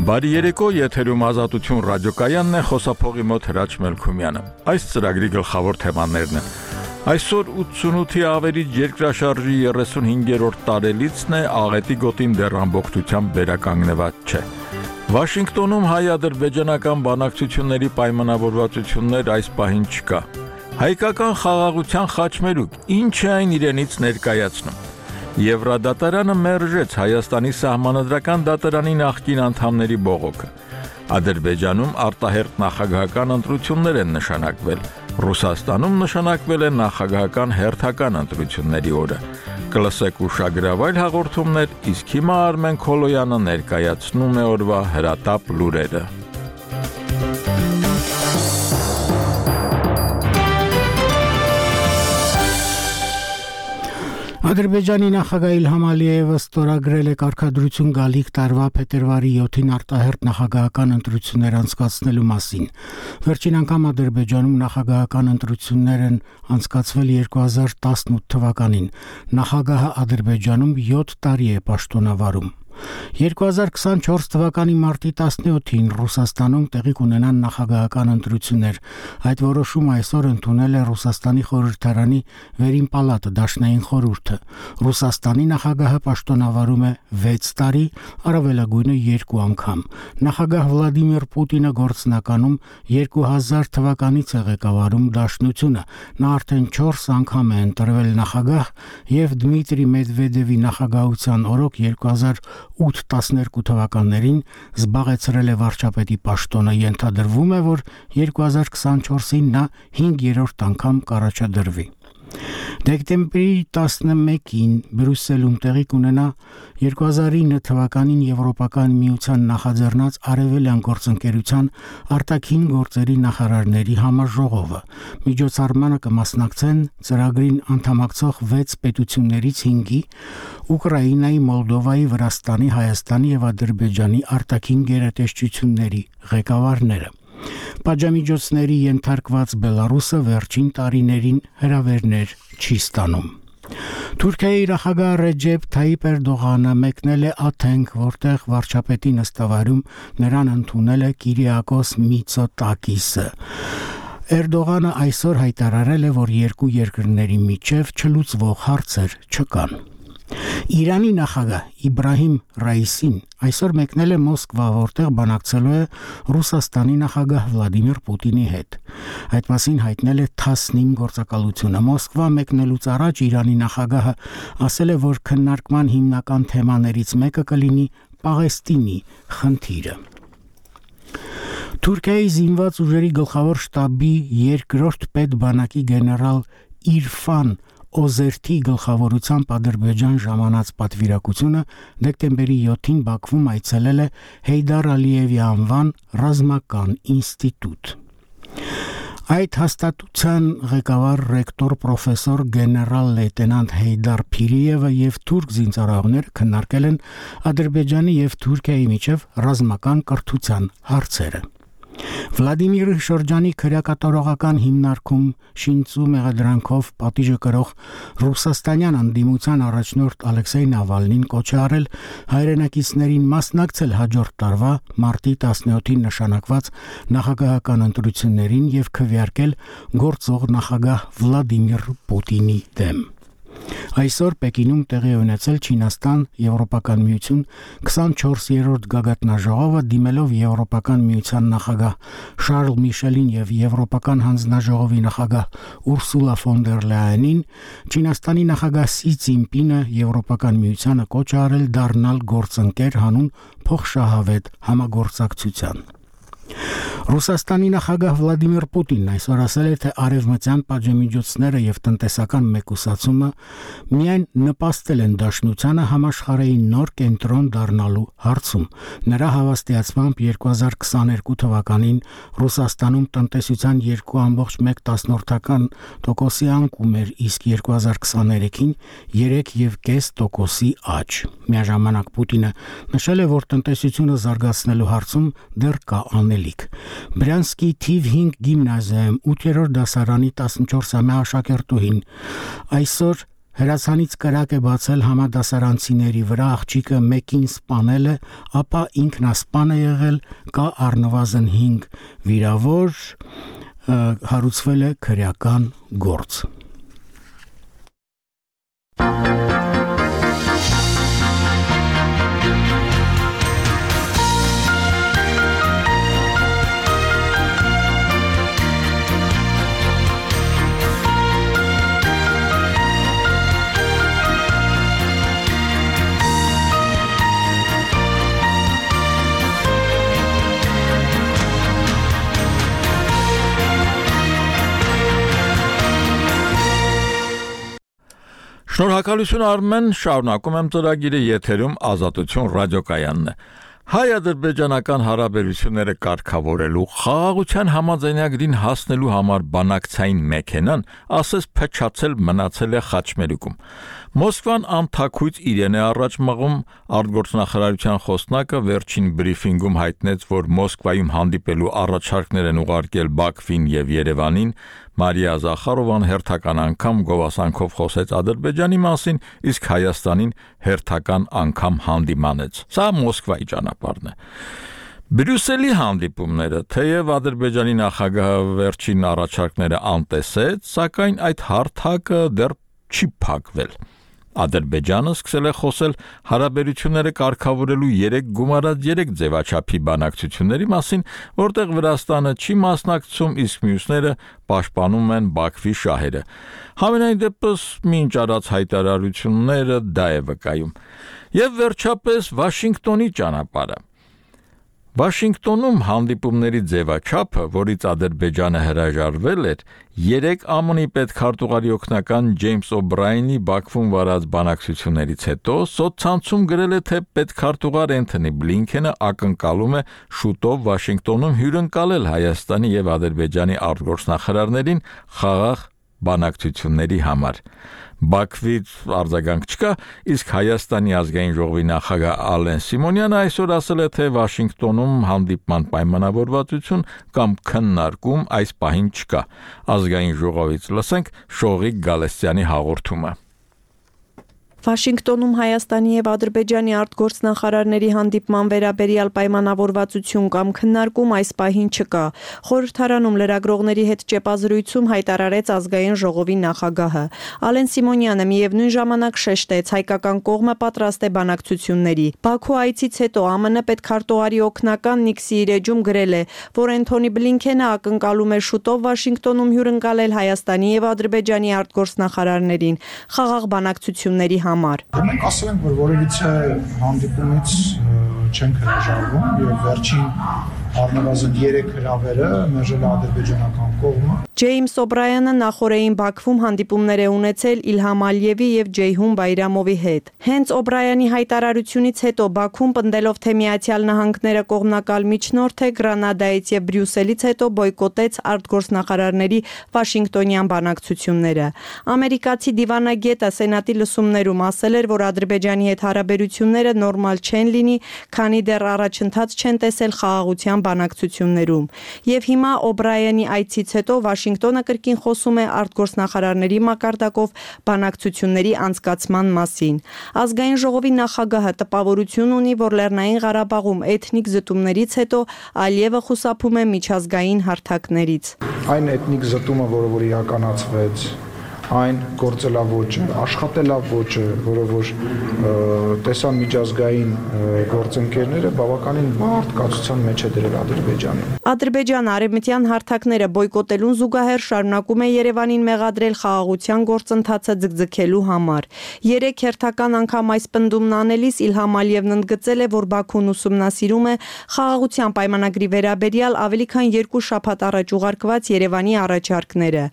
Բարի երեկո, եթերում Ազատություն ռադիոկայանն է, խոսափողի մոտ Հրաչ Մելքումյանը։ Այս ծրագրի գլխավոր թեմաներն են։ Այսօր 88-ի ավերիչ երկրաշարժի 35-րդ տարելիցն է, աղետի գոտին դեռ ամբողջությամբ վերականգնված չէ։ Վաշինգտոնում հայ-ադրբեջանական բանակցությունների պայմանավորվածություններ այս պահին չկա։ Հայկական խաղաղության խաչմերուկ, ինչ է այն իրենից ներկայացնում։ Եվրադատարանը մերժեց Հայաստանի սահմանադրական դատարանի նախկին անդամների բողոքը։ Ադրբեջանում արտահերթ նախագահական ընտրություններ են նշանակվել։ Ռուսաստանում նշանակվել է նախագահական հերթական ընտրությունների օրը։ Կլսեք ուշագրավայր հաղորդումներ, իսկ հիմա Արմեն Քոլոյանը ներկայացնում է օրվա հրատապ լուրերը։ Ադրբեջանի նախագահ Իլհամ Ալիևը ստորագրել է կարգադրություն գալիք տարվա փետրվարի 7-ին արտահերթ նախագահական ընտրություններ անցկացնելու մասին։ Վերջին անգամ Ադրբեջանում նախագահական ընտրություններ են անցկացվել 2018 թվականին։ Նախագահը Ադրբեջանում 7 տարի է պաշտոնավարում։ 2024 թվականի մարտի 17-ին Ռուսաստանում տեղի կունենան նախագահական ընտրություններ։ Այդ որոշումը այսօր ընդունել է Ռուսաստանի խորհրդարանի վերին պալատը, Դաշնային խորհուրդը։ Ռուսաստանի նախագահը պաշտոնավարում է 6 տարի, առավելագույնը 2 անգամ։ Նախագահ Վլադիմիր Պուտինը գործնականում 2000 թվականից է ղեկավարում Դաշնությունը։ Նա արդեն 4 անգամ է ընտրվել նախագահ եւ Դմիտրի Մեդվեդևի նախագահության օրոք 2008-12 թվականներին զբաղեցրել է վարչապետի պաշտոնը։ Ենթադրվում է, որ 2024-ին նա 5-րդ անգամ կառաջադրվի։ Դեկտեմբերի 11-ին Բրյուսելում տեղի կունենա 2009 թվականին Եվրոպական միության նախաձեռնած Արևելյան գործընկերության արտաքին գործերի նախարարների համաժողովը։ Միջոցառմանը կմասնակցեն ծրագրին անդամակցող 6 պետություններից 5-ի՝ Ուկրաինայի, Մոլդովայի, Վրաստանի, Հայաստանի եւ Ադրբեջանի արտաքին գերատեսչությունների ղեկավարները։ Պատժամիջոցների ենթարկված Բելարուսը վերջին տարիներին հրավերներ չի ստանում։ Թուրքիայի նախագահ Ռեջեփ Թայիպ Էրդողանը մեկնել է Աթենք, որտեղ վարչապետի նստավայրում նրան ընդունել է Կիրիակոս Միցոտակիսը։ Էրդողանը այսօր հայտարարել է, որ երկու երկրների միջև չլուծվող հարցեր չկան։ Իրանի նախագահ Իբրահիմ Ռայիսին այսօր մեկնել է Մոսկվա, որտեղ բանակցելու է Ռուսաստանի նախագահ Վլադիմիր Պուտինի հետ։ Այդ մասին հայտնել է Թասնիմ գործակալությունը։ Մոսկվա մեկնելուց առաջ Իրանի նախագահը ասել է, որ քննարկման հիմնական թեմաներից մեկը կլինի Պաղեստինի խնդիրը։ Թուրքիայի զինված ուժերի գլխավոր շտաբի երկրորդ պետբանակի գեներալ Իրֆան Օզերթի գլխավորությամբ Ադրբեջան ժամանած պատվիրակությունը դեկտեմբերի 7-ին Բաքվում այցելել է Հեյդար Ալիևի անվան ռազմական ինստիտուտ։ Այդ հաստատության ղեկավար ռեկտոր պրոֆեսոր գեներալ լեյտենանտ Հեյդար Փիրիևը եւ թուրք զինծառայողները քննարկել են Ադրբեջանի եւ Թուրքիայի միջև ռազմական կրթության հարցերը։ Վլադիմիր Շրջանի քրեակատարողական հիմնարկում շինծու մեղադրանքով պատիժը կրող ռուսաստանյան անդիմության առաջնորդ Ալեքսեյ Նավալնին կոչ է արել հայրենակիցներին մասնակցել հաջորդ տարվա մարտի 17-ին նշանակված նախագահական ընտրություններին եւ քվեարկել գործող նախագահ Վլադիմիր Պուտինի դեմ։ Այսօր Պեկինում տեղի ունեցել Չինաստան Եվրոպական միություն 24-րդ գագաթնաժողովը դիմելով Եվրոպական միության նախագահ Շարլ Միշելին եւ Եվրոպական հանձնաժողովի նախագահ Ուրսուլա ֆոն դեր Լայենին, Չինաստանի նախագահ Սի Ցինպինը Եվրոպական միությանը կոչ է արել դառնալ գործընկեր հանուն փոխշահավետ համագործակցության։ Ռուսաստանի նախագահ Վլադիմիր Պուտինն այսօր ասել է, թե արևմտյան պատժամիջոցները եւ տնտեսական մեկուսացումը միայն նպաստել են Դաշնությանը համաշխարհային նոր կենտրոն դառնալու հարցում։ Նրա հավաստիացմամբ 2022 թվականին Ռուսաստանում տնտեսության 2.1%-ական անկում էր, իսկ 2023-ին 3.5% աճ։ Միաժամանակ Պուտինը նշել է, որ տնտեսությունը զարգացնելու հարցում դեռ կա անելիք։ Բրյանսկի թիվ 5 գիմնազիայում 8-րդ դասարանի 14-ամյա աշակերտուհին այսօր հրացանից կրակ է բացել համադասարանցիների վրա, աղջիկը մեկին սպանել է, ապա ինքնասպան է եղել, կա առնվազն 5 վիրավոր, հարուցվել է քրեական գործ։ Շնորհակալություն Արմեն, շարունակում եմ ծրագիրը եթերում Ազատություն ռադիոկայանն է։ Հայ-ադրբեջանական հարաբերությունները կարգավորելու խաղաղության համաձայնագրին հասնելու համար բանակցային մեքենան ասես փչացել մնացել է Խաչմերուկում։ Մոսկվան անթաքույց իրեն է առաջ մղում, արտգործնախարարության խոսնակը վերջին բրիֆինգում հայտնեց, որ Մոսկվայում հանդիպելու առաջարկներ են ուղարկել Բաքվին եւ Երևանին, Մարիա Զախարովան հերթական անգամ գովասանքով խոսեց Ադրբեջանի մասին, իսկ Հայաստանին հերթական անգամ հանդիմանեց։ Սա Մոսկվայի ճանապարհն է։ Բրյուսելի հանդիպումները, թեև Ադրբեջանի նախագահը վերջին առաջարկները անտեսեց, սակայն այդ հարթակը դեռ չի փակվել։ Ադրբեջանը սկսել է խոսել հարաբերությունները կարգավորելու 3 ձևաչափի բանակցությունների մասին, որտեղ Վրաստանը չի մասնակցում, իսկ մյուսները պաշտպանում են Բաքվի շահերը։ Համենայն դեպս մինչ արած հայտարարությունները դա է վկայում։ Եվ վերջապես Վաշինգտոնի ճանապարհը։ Վաշինգտոնում հանդիպումների ձևաչափը, որից Ադրբեջանը հրաժարվել էր, 3 ԱՄՆ-ի պետքարտուղարի օգնական Ջեյմս Օբրայենի Բաքվում վարած բանակցություններից հետո սոցցանցում գրել է, թե պետքարտուղար Էնթոնի Բլինքենը ակնկալում է շուտով Վաշինգտոնում հյուրընկալել Հայաստանի եւ Ադրբեջանի արտգործնախարարներին խաղաղ բանակցությունների համար։ Բաքվից արձագանք չկա, իսկ Հայաստանի ազգային ժողովի նախագահ Ալեն Սիմոնյանը այսօր ասել է, թե Վաշինգտոնում հանդիպման պայմանավորվածություն կամ քննարկում այս պահին չկա։ Ազգային ժողովից լսենք Շողիկ Գալստյանի հաղորդումը։ Վաշինգտոնում Հայաստանի եւ Ադրբեջանի արտգործնախարարների հանդիպման վերաբերյալ պայմանավորվածություն կամ քննարկում այս պահին չկա։ Խորհրդարանում լրագրողների հետ ճեպազրույցում հայտարարեց ազգային ժողովի նախագահը։ Ալեն Սիմոնյանը միևնույն ժամանակ շեշտեց, հայկական կողմը պատրաստ է բանակցությունների։ Բաքու այցից հետո ԱՄՆ պետքարտուղարի օգնական Նիկ Սիրեջում գրել է, որ Էնթոնի Բլինքենը ակնկալում է շուտով Վաշինգտոնում հյուրընկալել Հայաստանի եւ Ադրբեջանի արտգործնախարարներին խաղաղ բանակցությունների համար։ Մենք ասել ենք, որ որևիցե հանդիպումից չենք հրաժարվում եւ վերջին առնվազն 3 հրավերը մերժել է ադրբեջանական կողմը։ Ջեյմս Օբրայենը նախորդին Բաքվում հանդիպումներ է ունեցել Իլհամ Ալիևի եւ Ջեյհուն Բայրամովի հետ։ Հենց Օբրայանի հայտարարությունից հետո Բաքվում պնդելով, թե Միացյալ Նահանգները կողմնակալ միջնորդ է, Գրանադայից եւ Բրյուսելից հետո բոյկոտեց արտգործնախարարների Վաշինգտոնյան բանակցությունները։ Ամերիկացի դիվանագետը Սենատի լսումներում ասել էր, որ Ադրբեջանի հետ հարաբերությունները նորմալ չեն լինի, քանի դեռ առաջընթաց չեն տեսել խաղաղության բանակցություններում։ Եվ հիմա Օբրայանի այցից հետո Վաշինգտոնը կրկին խոսում է արտգործնախարարների մակարդակով բանակցությունների անցկացման մասին։ Ազգային ժողովի նախագահը տպավորություն ունի, որ Լեռնային Ղարաբաղում էթնիկ զտումներից հետո Ալիևը խուսափում է միջազգային հարթակներից։ Այն էթնիկ զտումը, որը իրականացվեց, այն գործելավոճը, աշխատելավոճը, որը որ տեսան միջազգային գործընկերները բավականին բարդ կացության մեջ է դրել Ադրբեջանին։ Ադրբեջանը արևմտյան հարթակները բոյկոտելուն զուգահեռ շարունակում է Երևանին մեղադրել խաղաղության գործընթացը ձգձգելու համար։ 3 հերթական անգամ այս պնդումն անելիս Իլհամ Ալիևն ընդգծել է, որ Բաքուն ուսումնասիրում է խաղաղության պայմանագրի վերաբերյալ ավելի քան 2 շաբաթ առաջ ուղարկված Երևանի առաջարկները։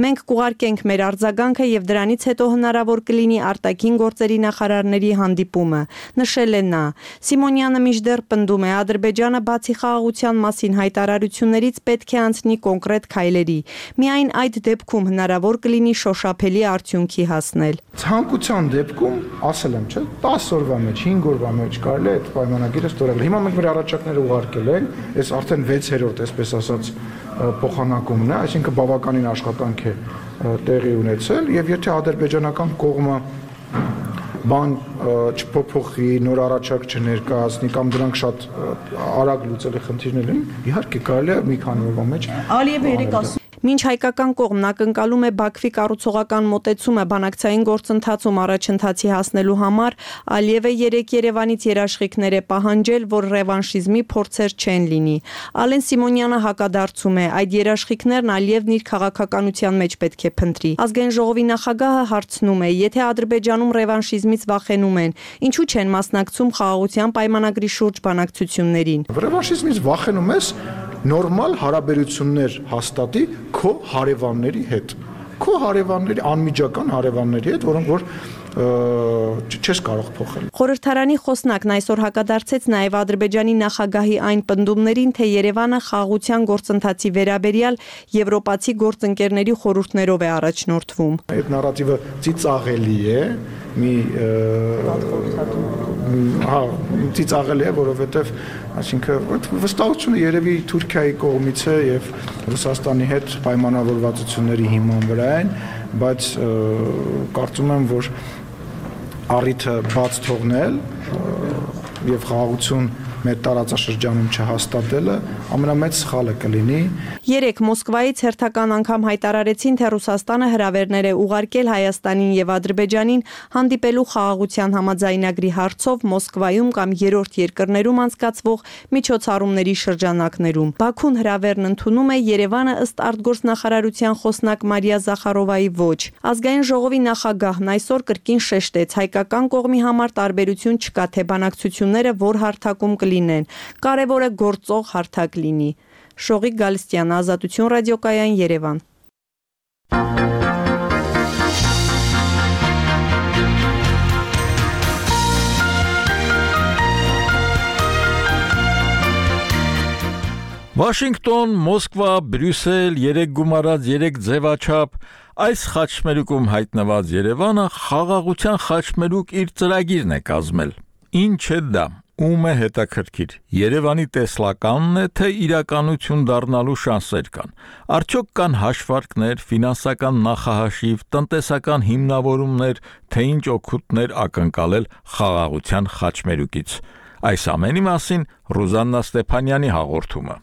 Մենք կուղարկենք մեր արձագանքը եւ դրանից հետո հնարավոր կլինի արտաքին գործերի նախարարների հանդիպումը, նշել է նա։ Սիմոնյանը մինչդեռ պնդում է, Ադրբեջանը բացի խաղաղության մասին հայտարարություններից պետք է անցնի կոնկրետ քայլերի։ Միայն այդ դեպքում հնարավոր կլինի շոշափելի արդյունքի հասնել։ Ցանկության դեպքում, ասել եմ, չէ, 10 օրվա մեջ, 5 օրվա մեջ կարելի է այդ պայմանագիրը ստորագրել։ Հիմա մենք մեր առաջարկները ուղարկել ենք, այս արդեն 6-րդ, այսպես ասած, փոխանակումն է, այսինքն բավականին աշխատանք է տեղի ունեցել եւ եթե ադրբեջանական կողմը բան չփոփոխի, նոր առաջարկ չներկայացնի կամ դրանք շատ արագ լուծելի խնդիրներ են, իհարկե կարելի է մի քանի օրվա մեջ Ալիևը երեք ասում Մինչ հայկական կողմն ակնկալում է Բաքվի կառուցողական մոտեցումը բանակցային գործընթացում առաջընթացի հասնելու համար, Ալիևը երեք Երևանից երաշխիքներ է պահանջել, որ ռևանշիզմի փորձեր չեն լինի։ Ալեն Սիմոնյանը հակադարձում է, այդ երաշխիքներն Ալիևն իր քաղաքականության մեջ պետք է փնտրի։ Ազգային ժողովի նախագահը հարցնում է, եթե Ադրբեջանում ռևանշիզմից վախենում են, ինչու չեն մասնակցում խաղաղության պայմանագրի շուրջ բանակցություններին։ Ռևանշիզմից վախենում ես նորմալ հարաբերություններ հաստատի քո հարևանների հետ, քո հարևանների անմիջական հարևանների հետ, որոնք որ չես կարող փոխել։ Խորհրդարանի խոսնակն այսօր հակադարձեց նաև Ադրբեջանի նախագահի այն պնդումներին, թե Երևանը խաղաղության գործընթացի վերաբերյալ եվրոպացի գործընկերների խորհուրդներով է առաջնորդվում։ Այդ նարատիվը ծիծաղելի է, ծիծաղելի է, որովհետև այսինքն վստահությունը երևի Թուրքիայի կողմից է եւ Ռուսաստանի հետ պայմանավորվածությունների հիման վրա են, բայց կարծում եմ, որ առիթը բաց թողնել եւ խաղաղություն մեր տարածաշրջանում չհաստատելը ամենամեծ սխալը կլինի։ Երեք Մոսկվայից հերթական անգամ հայտարարեցին, թե Ռուսաստանը հրավերներ է ուղարկել Հայաստանին եւ Ադրբեջանին հանդիպելու խաղաղության համաձայնագրի հարցով Մոսկվայում կամ երրորդ երկրներում անցկացվող միջոցառումների շրջանակներում։ Բաքուն հրավերն ընդունում է, Երևանը ըստ արտգործնախարարության խոսնակ Մարիա Զախարովայի ոչ։ Ազգային ժողովի նախագահն այսօր կրկին շեշտեց, հայկական կողմի համար տարբերություն չկա, թե բանակցությունները որ հարթակում կլինեն, կարևոր է գործող հարթակ լինի։ Շողիկ Գալստյան, Ազատություն ռադիոկայան, Երևան։ Վաշինգտոն, Մոսկվա, Բրյուսել, 3 գումարած 3 ձևաչափ, այս խաչմերուկում հայտնված Երևանը խաղաղության խաչմերուկ իր ծրագիրն է կազմել։ Ինչ է դա, ում է հետաքրքիր, Երևանի տեսլականն է, թե իրականություն դառնալու շանսեր կան, արդյոք կան հաշվարկներ, ֆինանսական նախահաշիվ, տնտեսական հիմնավորումներ, թե ինչ օգուտներ ակնկալել խաղաղության խաչմերուկից։ Այս ամենի մասին Ռուզաննա Ստեփանյանի հաղորդումը։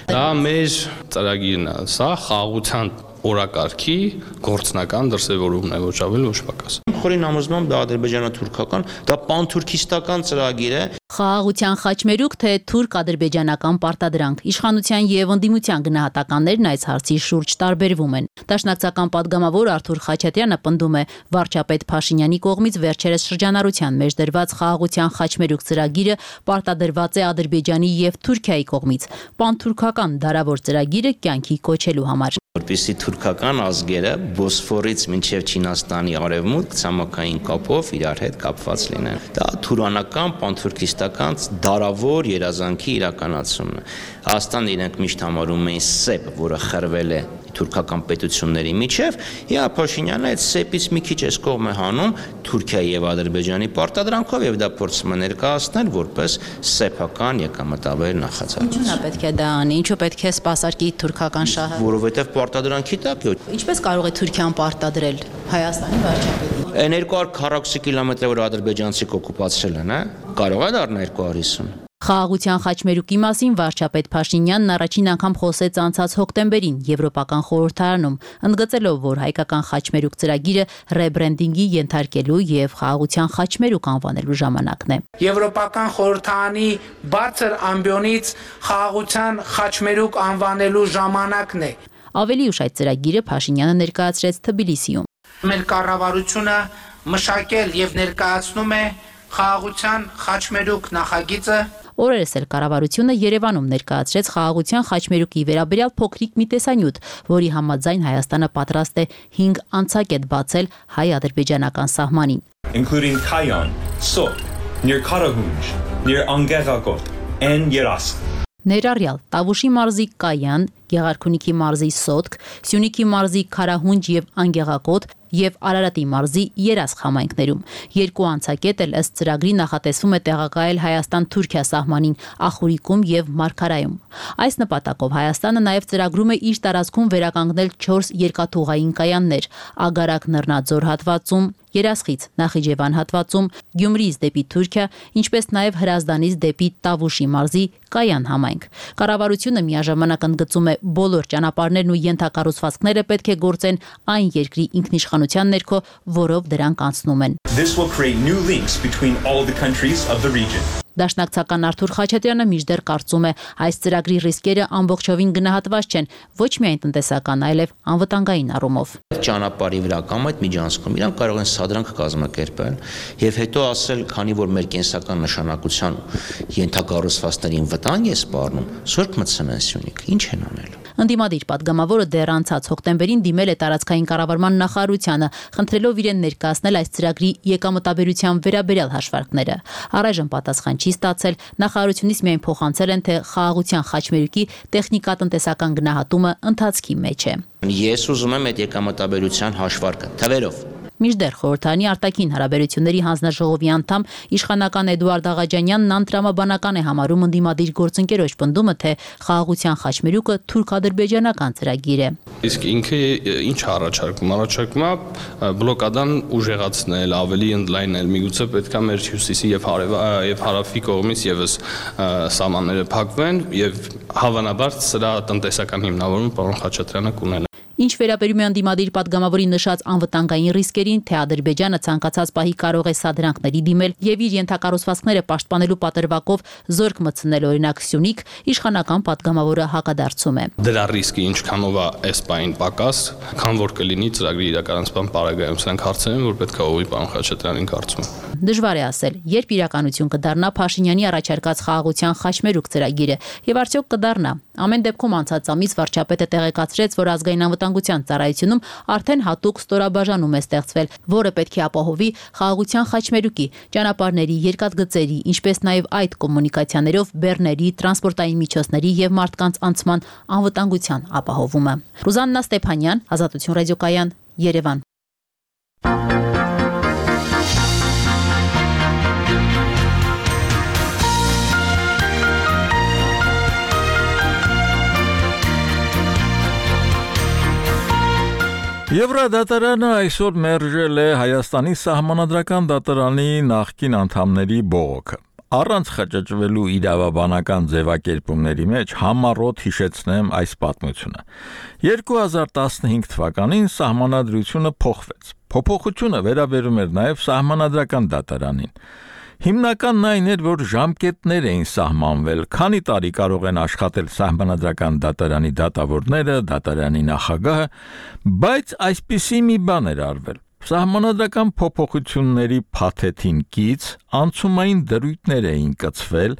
Դա մեր ծրագիրն է, սա խաղաղության օրակարգի գործնական դրսևորումն է, ոչ ավել ոչ պակաս։ Խորին համոզմամբ դա ադրբեջանա-թուրքական, դա պանթուրքիստական ծրագիր է։ Խաղաղության խաչմերուկ, թե թուրք-ադրբեջանական պարտադրանք, իշխանության եւ ընդդիմության գնահատականներն այս հարցի շուրջ տարբերվում են։ Դաշնակցական падգամավոր Արթուր Խաչատյանը պնդում է, վարչապետ Փաշինյանի կողմից վերջերս շրջանառության մեջ դրված խաղաղության խաչմերուկ ծրագիրը պարտադրված է Ադրբեջանի եւ Թուրքիայի կողմից պանթուրքական դարավոր ծրագիրը կյանքի կոչելու համար։ Որպեսզի թուրքական ազգերը Բոսֆորից մինչև Չինաստանի արևմուտք ցամաքային կապով իրար հետ կապված լինեն։ Դա թուրանական, պանթուրքիստական դարավոր երազանքի իրականացումն է։ Հայաստանը իրենք միշտ համարում էին սեպ, որը խրվել է թուրքական պետությունների միջև, եւ Փաշինյանը այդ սեպից մի քիչ էս կողմ է հանում Թուրքիայի եւ Ադրբեջանի պարտադրանքով եւ դա փորձում է ներկայացնել որպես սեփական եկամտաբեր նախաձեռնություն։ Ինչու՞ն է պետք է դա անի, ինչու պետք է սպասարկի թուրքական շահը։ Որովհետեւ պարտադրանքի տակ է։ Ինչպես կարող է Թուրքիան պարտադրել Հայաստանի վարչապետին։ Այն 240 կիլոմետրը, որ ադրբեջանցիք օկուպացրել են, կարող է դառնալ 250։ Խաղաղության խաչմերուկի մասին վարչապետ Փաշինյանն առաջին անգամ խոսեց անցած հոկտեմբերին Եվրոպական խորհրդարանում, ընդգծելով, որ հայկական խաչմերուկ ծրագիրը ռեբրենդինգի ենթարկելու եւ խաղաղության խաչմերուկ անվանելու ժամանակն է։ Եվրոպական խորհրդարանի բարձր ամբիոնից խաղաղության խաչմերուկ անվանելու ժամանակն է։ Ավելի ուշ այդ ծրագիրը Փաշինյանը ներկայացրեց Թբիլիսիում։ Մեր կառավարությունը մշակել եւ ներկայացնում է խաղաղության խաչմերուկ նախագիծը։ Օրերս էլ կառավարությունը Երևանում ներկայացրեց խաղաղության խաչմերուկի վերաբերյալ փոքրիկ մի տեսանյութ, որի համաձայն Հայաստանը պատրաստ է 5 անցակետ բացել հայ-ադրբեջանական սահմանին։ Including Kayan, Sot, near Karahunj, near Angeragot, and Yeresk. Ներառյալ Տավուշի մարզի Կայան, Գեղարքունիքի մարզի Սոտք, Սյունիքի մարզի Քարահունջ եւ Անգեղակոտ, եւ Արարատի մարզի Երասխ համայնքներում։ Երկու անցակետ էլ ըստ ծրագրի նախատեսվում է տեղակայել Հայաստան-Թուրքիա սահմանին Ախուրիկում եւ Մարգարայում։ Այս նպատակով Հայաստանը նաեւ ծրագրում է իր տարածքում վերականգնել 4 երկաթուղային կայաններ՝ Ագարակ Նռնաձոր հատվածում, Երասխից Նախիջևան հատվածում, Գյումրիից դեպի Թուրքիա, ինչպես նաև Հրազդանից դեպի Տավուշի մարզի Կայան համայնք։ Կառավարությունը միաժամանակ ընդգծում է բոլոր ճանապարհներն ու ենթակառուցվածքները պետք է գործեն այն երկրի ինքնիշխանության ներքո, որով դրանք անցնում են։ This will create new links between all the countries of the region. Դաշնակցական Արթուր Խաչատրյանը մինչդեռ կարծում է, այս ծրագրի ռիսկերը ամբողջովին գնահատված չեն, ոչ միայն տնտեսական, այլև անվտանգային առումով։ Ճանապարհի վրա կամ այդ միջանցքում իրանք կարող են սադրանք կազմակերպել եւ հետո ասել, քանի որ մեր կենսական նշանակության ենթակառուցվածքներին վտանգ է սպառնում, սուրբ մտցնեն Սյունիք, ինչ են անելու։ Ընդդիմադիր պատգամավորը դեռ անցած հոկտեմբերին դիմել է տարածքային կառավարման նախարարությանը, խնդրելով իրեն ներկայացնել այս ծրագրի եկամտաբերության վերաբերյալ հաշվարկները։ Առայժմ պատասխան չի ստացել, նախարարությունից միայն փոխանցել են, թե խաղաղության խաչմերուկի տեխնիկատնտեսական գնահատումը ընթացքի մեջ է։ Ես ուզում եմ այդ եկամտաբերության հաշվարկը թվերով։ Մինչդեռ խորհրդարանի արտաքին հարաբերությունների հանձնաժողովի անդամ իշխանական Էդուարդ Աղաջանյանն անտրամաբանական է համարում ընդդիմադիր գործընկերոջ պնդումը, թե խաղաղության խաչմերուկը թուրք-ադրբեջանական ծրագիր է։ Իսկ ինքը ինչ առաջարկում։ Առաջարկում է բլոկադան ուժեղացնել, ավելի ընդլայնել, միգուցե պետքա մեր հյուսիսի եւ հարավի կողմից եւս սահմանները փակվեն եւ հավանաբար սրա տնտեսական հիմնավորումը պարոն Խաչատրյանը կունենա։ Ինչ վերաբերում է ընդդիմադիր պատգամավորի նշած անվտանգային ռիսկերին, թե Ադրբեջանը ցանկացած պահի կարող է սադրանքների դիմել եւ իր ենթակառուցվածքները պաշտպանելու պատրվակով զորք մտցնել օրինակ Սյունիք, իշխանական պատգամավորը հակադարձում է։ Դրա ռիսկը ինչքանով է այս պահին պակաս, քան որ կլինի ծրագրի իրականացման պարագայում, սրանք հարցեր են, որ պետք է ուղղի պարոն Խաչատրյանին կարծում եմ։ Դժվար է ասել, երբ իրականություն կդառնա Փաշինյանի առաջարկած խաղաղության խաչմերուկ ծրագիրը եւ արդյոք կդառնա։ Ամեն դեպքում անցած ամիս վարչապետը տեղեկացրեց, որ ազգային անվտանգության ծառայությունում արդեն հատուկ ստորաբաժանում է ստեղծվել, որը պետք է ապահովի խաղաղության խաչմերուկի, ճանապարհների, երկաթգծերի, ինչպես նաեւ այդ կոմունիկացիաներով բեռների, տրանսպորտային միջոցների եւ մարդկանց անցման անվտանգության ապահովումը։ Ռուզաննա Ստեփանյան, Ազատություն ռադիոկայան, Երևան։ Եվրադատարանը այսօր մերժել է Հայաստանի սահմանադրական դատարանի նախկին անդամների բողոքը։ Առանց խճճվելու իրավաբանական ձևակերպումների մեջ համառոտ հիշեցնեմ այս պատմությունը։ 2015 թվականին սահմանադրությունը փոխվեց։ Փոփոխությունը վերաբերում էր նաև սահմանադրական դատարանին։ Հիմնականն այն էր, որ ժամկետներ էին սահմանվել, քանի տարի կարող են աշխատել սահմանադրական դատարանի դատավորները, դատարանի նախագահը, բայց այսպիսի մի բան էր արվել։ Սահմանադրական փոփոխությունների փաթեթին կից անցումային դրույթներ էին կցվել,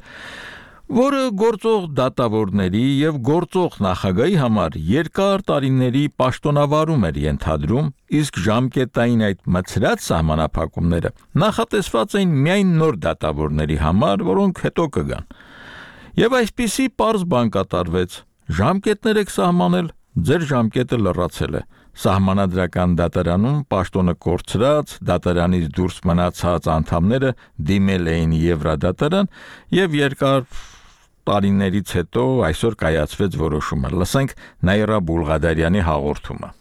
որը գործող դատավորների եւ գործող նախագահի համար երկար տարիների պաշտոնավարում էր ենթադրում, իսկ ժամկետային այդ մցրած սահմանափակումները նախատեսված էին միայն նոր դատավորների համար, որոնք հետո կգան։ Եվ այսպիսի պարզ բան կատարվեց. ժամկետներ եք սահմանել, ձեր ժամկետը լրացել է։ Սահմանադրական դատարանում պաշտոնը կորցրած, դատարանից դուրս մնացած անդամները դիմել էին Եվրադատարան եւ երկար տարիներից հետո այսօր կայացվեց որոշումը։ Լսենք Նաիրա Բուլղադարյանի հաղորդումը։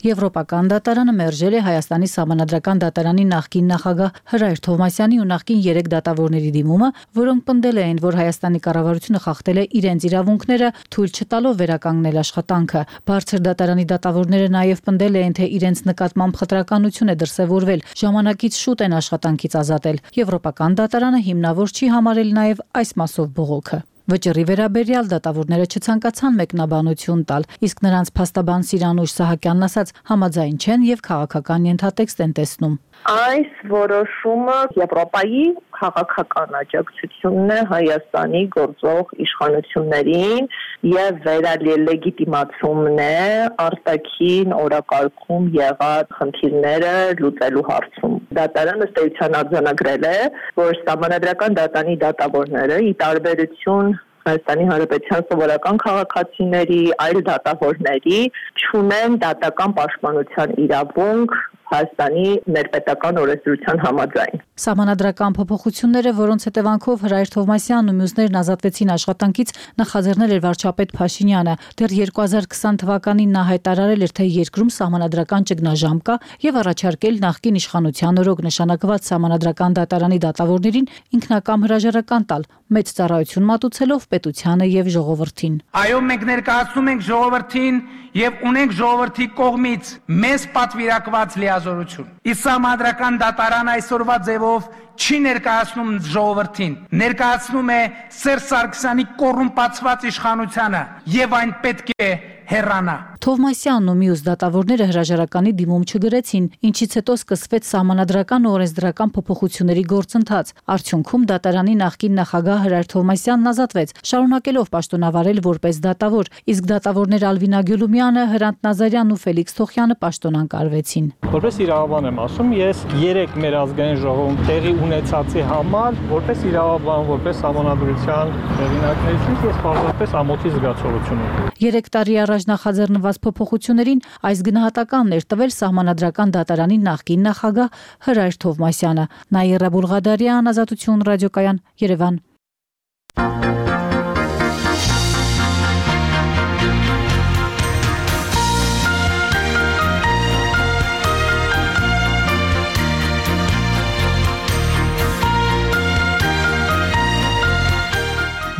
Եվրոպական դատարանը մերժել է Հայաստանի սահմանադրական դատարանի նախկին նախագահ Հրայր Թովմասյանի ու նախկին 3 դատավորների դիմումը, որոնք պնդել էին, որ Հայաստանի կառավարությունը խախտել է իրենց իրավունքները, թույլ չտալով վերականգնել աշխատանքը։ Բարձր դատարանի դատավորները նաև պնդել էին, թե իրենց նկատմամբ խտրականություն է դրսևորվել, ժամանակից շուտ են աշխատանքից ազատել։ Եվրոպական դատարանը հիմնավոր չի համարել նաև այս մասով բողոքը։ Վճռի վերաբերյալ դատավորները չցանկացան մեկնաբանություն տալ, իսկ նրանց փաստաբան Սիրանուշ Սահակյանն ասաց, համաձայն չեն եւ քաղաքական ենթատեքստ են տեսնում։ Այս որոշումը Եվրոպայի քաղաքական աջակցությունն է Հայաստանի գործող իշխանություններին եւ վերալեգիտիմացումն է արտաքին օրակարգում եղած խնդիրները լուծելու հարցում։ Դատարանը ըստ էության արձանագրել է, որ սահմանադրական դատարանի դատավորները ի տարբերություն Հայաստանի Հանրապետության սովորական քաղաքացիների, այլ դատավորների չունեն դատական պաշտպանության իրավունք Հայաստանի ներպետական օրենսդրության համաձայն։ Սահմանադրական փոփոխությունները, որոնց հետևանքով Հրայր Թովմասյանն ու մյուսներն ազատվեցին աշխատանքից, նախաձեռնել էր վարչապետ Փաշինյանը։ Դեռ 2020 թվականին նա հայտարարել էր, թե երկրում սահմանադրական ճգնաժամ կա եւ առաջարկել նախկին իշխանության օրոք նշանակված սահմանադրական դատարանի դատավորներին ինքնակամ հրաժարական տալ, մեծ ծառայություն մատուցելով պետությանը եւ ժողովրդին։ Այո, մենք ներկայացնում ենք ժողովրդին եւ ունենք ժողովրդի կողմից մեզ պատվիրակված լիազորություն։ Իսկ սահմանադրական դատարան այսօրվա ձևով չի ներկայացնում ժողովրդին, ներկայացնում է Սերժ Սարգսյանի կոռումպացված իշխանությանը եւ այն պետք է հեռանա։ Թովմասյանն ու մյուս դատավորները հրաժարականի դիմում չգրեցին, ինչից հետո սկսվեց սահմանադրական ու օրենսդրական փոփոխությունների գործընթաց։ Արդյունքում դատարանի նախկին նախագահ Հրայր Թովմասյանն ազատվեց, շարունակելով պաշտոնավարել որպես դատավոր, իսկ դատավորներ Ալվինա Գյուլումյանը, Հրանտ Նազարյանն ու Ֆելիքս Թոխյանը պաշտոնանկարվեցին։ Որպես իրավաբան եմ ասում, ես 3 մեր ազգային ժողովում տեղի ունեցածի համար, որպես իրավաբան, որպես սահմանադրության հեղինակներից ես պարզապես ամոթի զգացողություն ունեմ։ 3 տարի առաջ նախաձեռնված փոփոխություններին այս գնահատականն էր տվել սահմանադրական դատարանի նախկին նախագահ Հրայր Թովմասյանը։ Նաիրա Բուլղադարյան, Ազատություն ռադիոկայան, Երևան։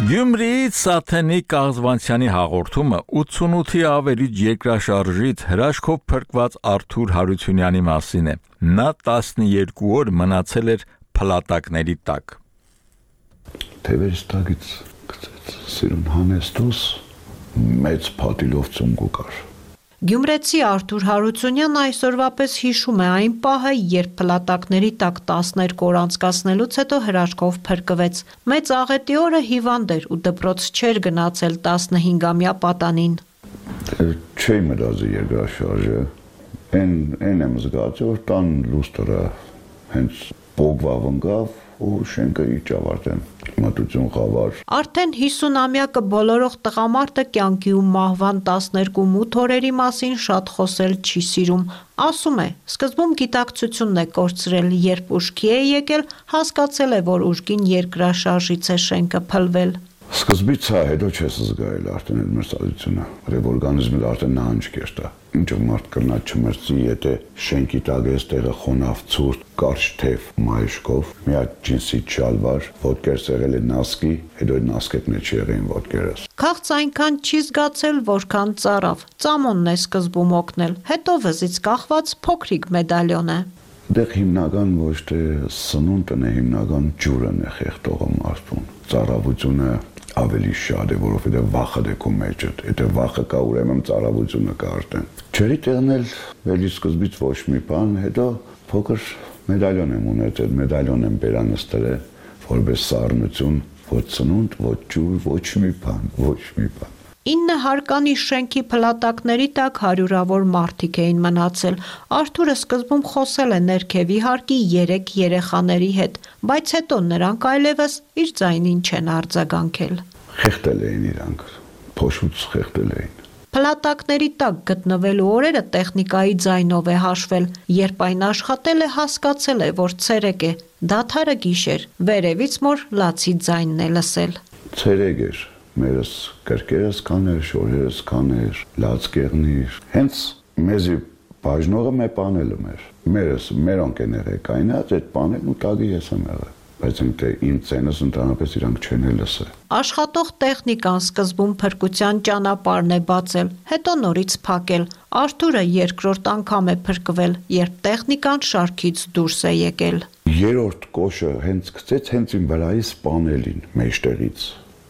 Գյումրիից Սաթենի Կաղզվանցյանի հաղորդումը 88-ի ավերիչ երկրաշարժից հրաշքով փրկված Արթուր Հարությունյանի մասին է։ Նա 12 օր մնացել էր փլատակների տակ։ Թևերից տակից գցեց սիրուն հանեստուս մեծ փաթիլով ծունգու կար։ Գյումրեցի Արթուր Հարությունյանն այսօրվա պես հիշում է այն պահը, երբ փլատակների տակ 12 օր անցկացնելուց հետո հրաշքով փրկվեց։ Մեծ աղետի օրը հիվանդ էր ու դպրոց չէր գնացել 15-ամյա պատանին։ Չէի մտածի երկրաշարժը, այն եմ զգացել, որ տան լուստրը հենց բոգվավ ընկավ ու շենքը իջավարտեն մատուցուն խավար։ Արդեն 50-ամյակը բոլորող տղամարդը կյանքի ու մահվան 12 մութ օրերի մասին շատ խոսել չի սիրում։ Ասում է, սկզբում գիտակցությունն է կորցրել, երբ ուշքի է եկել, հասկացել է, որ ուժգին երկրաշարժից է շենքը փլվել։ Սկզբից հետո չես զգայել արդեն այդ մրցակցությունը, որ օրգանիզմը արդեն նահանջ կերտա։ Ինչու մարդ կրնա չմրցի, եթե շենքի տակ էս տեղը խոնավ ցուրտ, կարճ թև մայշկով, մի հատ ջինսի շալվար, ոտքերս եղել է նասկի, հետո այդ նասկետ մեջ եղին ոտքերս։ Քաղց այնքան չի զգացել, որքան ծարավ։ Ծամոնն է սկզբում օգնել, հետո վզից կախված փոքրիկ մեդալյոն է։ Դեռ հիմնական ոչ թե սնունդն է, հիմնական ջուրն է խեղդողը մարդուն։ Ծարավությունը ավելի շատ է, որովհետև վախը դե քո մեջդ, եթե վախը կա, ուրեմն ծարավությունը կա արդեն։ Չերի տեղնել վելի սկզբից ոչ մի բան, հետո փոքր մեդալյոն եմ ունեցել, մեդալյոն եմ բերանստել, որպես սառնություն, ոչ սնունդ, ոչ ջուր, ոչ մի բան։ 9 հարկանի շենքի փլատակների տակ հարյուրավոր մարդիկ էին մնացել։ Արթուրը սկզբում խոսել է ներքևի հարկի 3 երեխաների հետ, բայց հետո նրանք այլևս իր ձայնին չեն արձագանքել։ Խեղդել էին իրանք, փոշուց խեղդել էին։ Փլատակների տակ գտնվելու օրերը տեխնիկայի ձայնով է հաշվել, երբ այն աշխատել է, հասկացել է, որ ցերեկ է, դադարը գիշեր, վերևից մոր լացի ձայնն է լսել։ Ցերեկ էր, մերս կրկերս կաներ, շորերս կաներ, լաց կեղնիր, հենց մեզի բաժնողը մե պանելը մերս, մերոնք են եղել կայնած, այդ պանելն ու տագի ես եմ եղել, բայց ինքը իմ ծենս ընդհանրապես իրանք չեն լսել։ Աշխատող տեխնիկան սկզբում փրկության ճանապարհն է բացել, հետո նորից փակել։ Արթուրը երկրորդ անգամ է փրկվել, երբ տեխնիկան շարքից դուրս է եկել։ Երրորդ կոշը հենց գցեց հենց իմ վրայից պանելին մեջտեղից։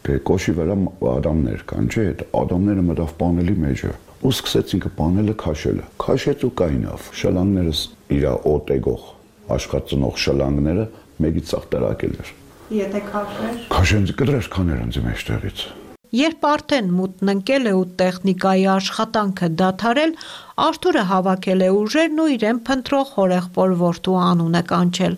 Կոշի վրա ադամներ կան, չէ՞, այդ ադամները մտավ պանելի մեջը ու սկսեց ինքը պանելը քաշելը։ Քաշեց ու կայնավ։ Շլանգներս իր օտեգող աշխատծնող շլանգները մեկից ցախ տրակել էր։ Եթե քաշեր։ Քաշենց կդրես կաներ ինձ մեջտեղից։ Երբ արդեն մութն ընկել է ու տեխնիկայի աշխատանքը դադարել, Արթուրը հավաքել է ուժերն ու իրեն փնտրող հորեղբոր որդու անունը կանչել։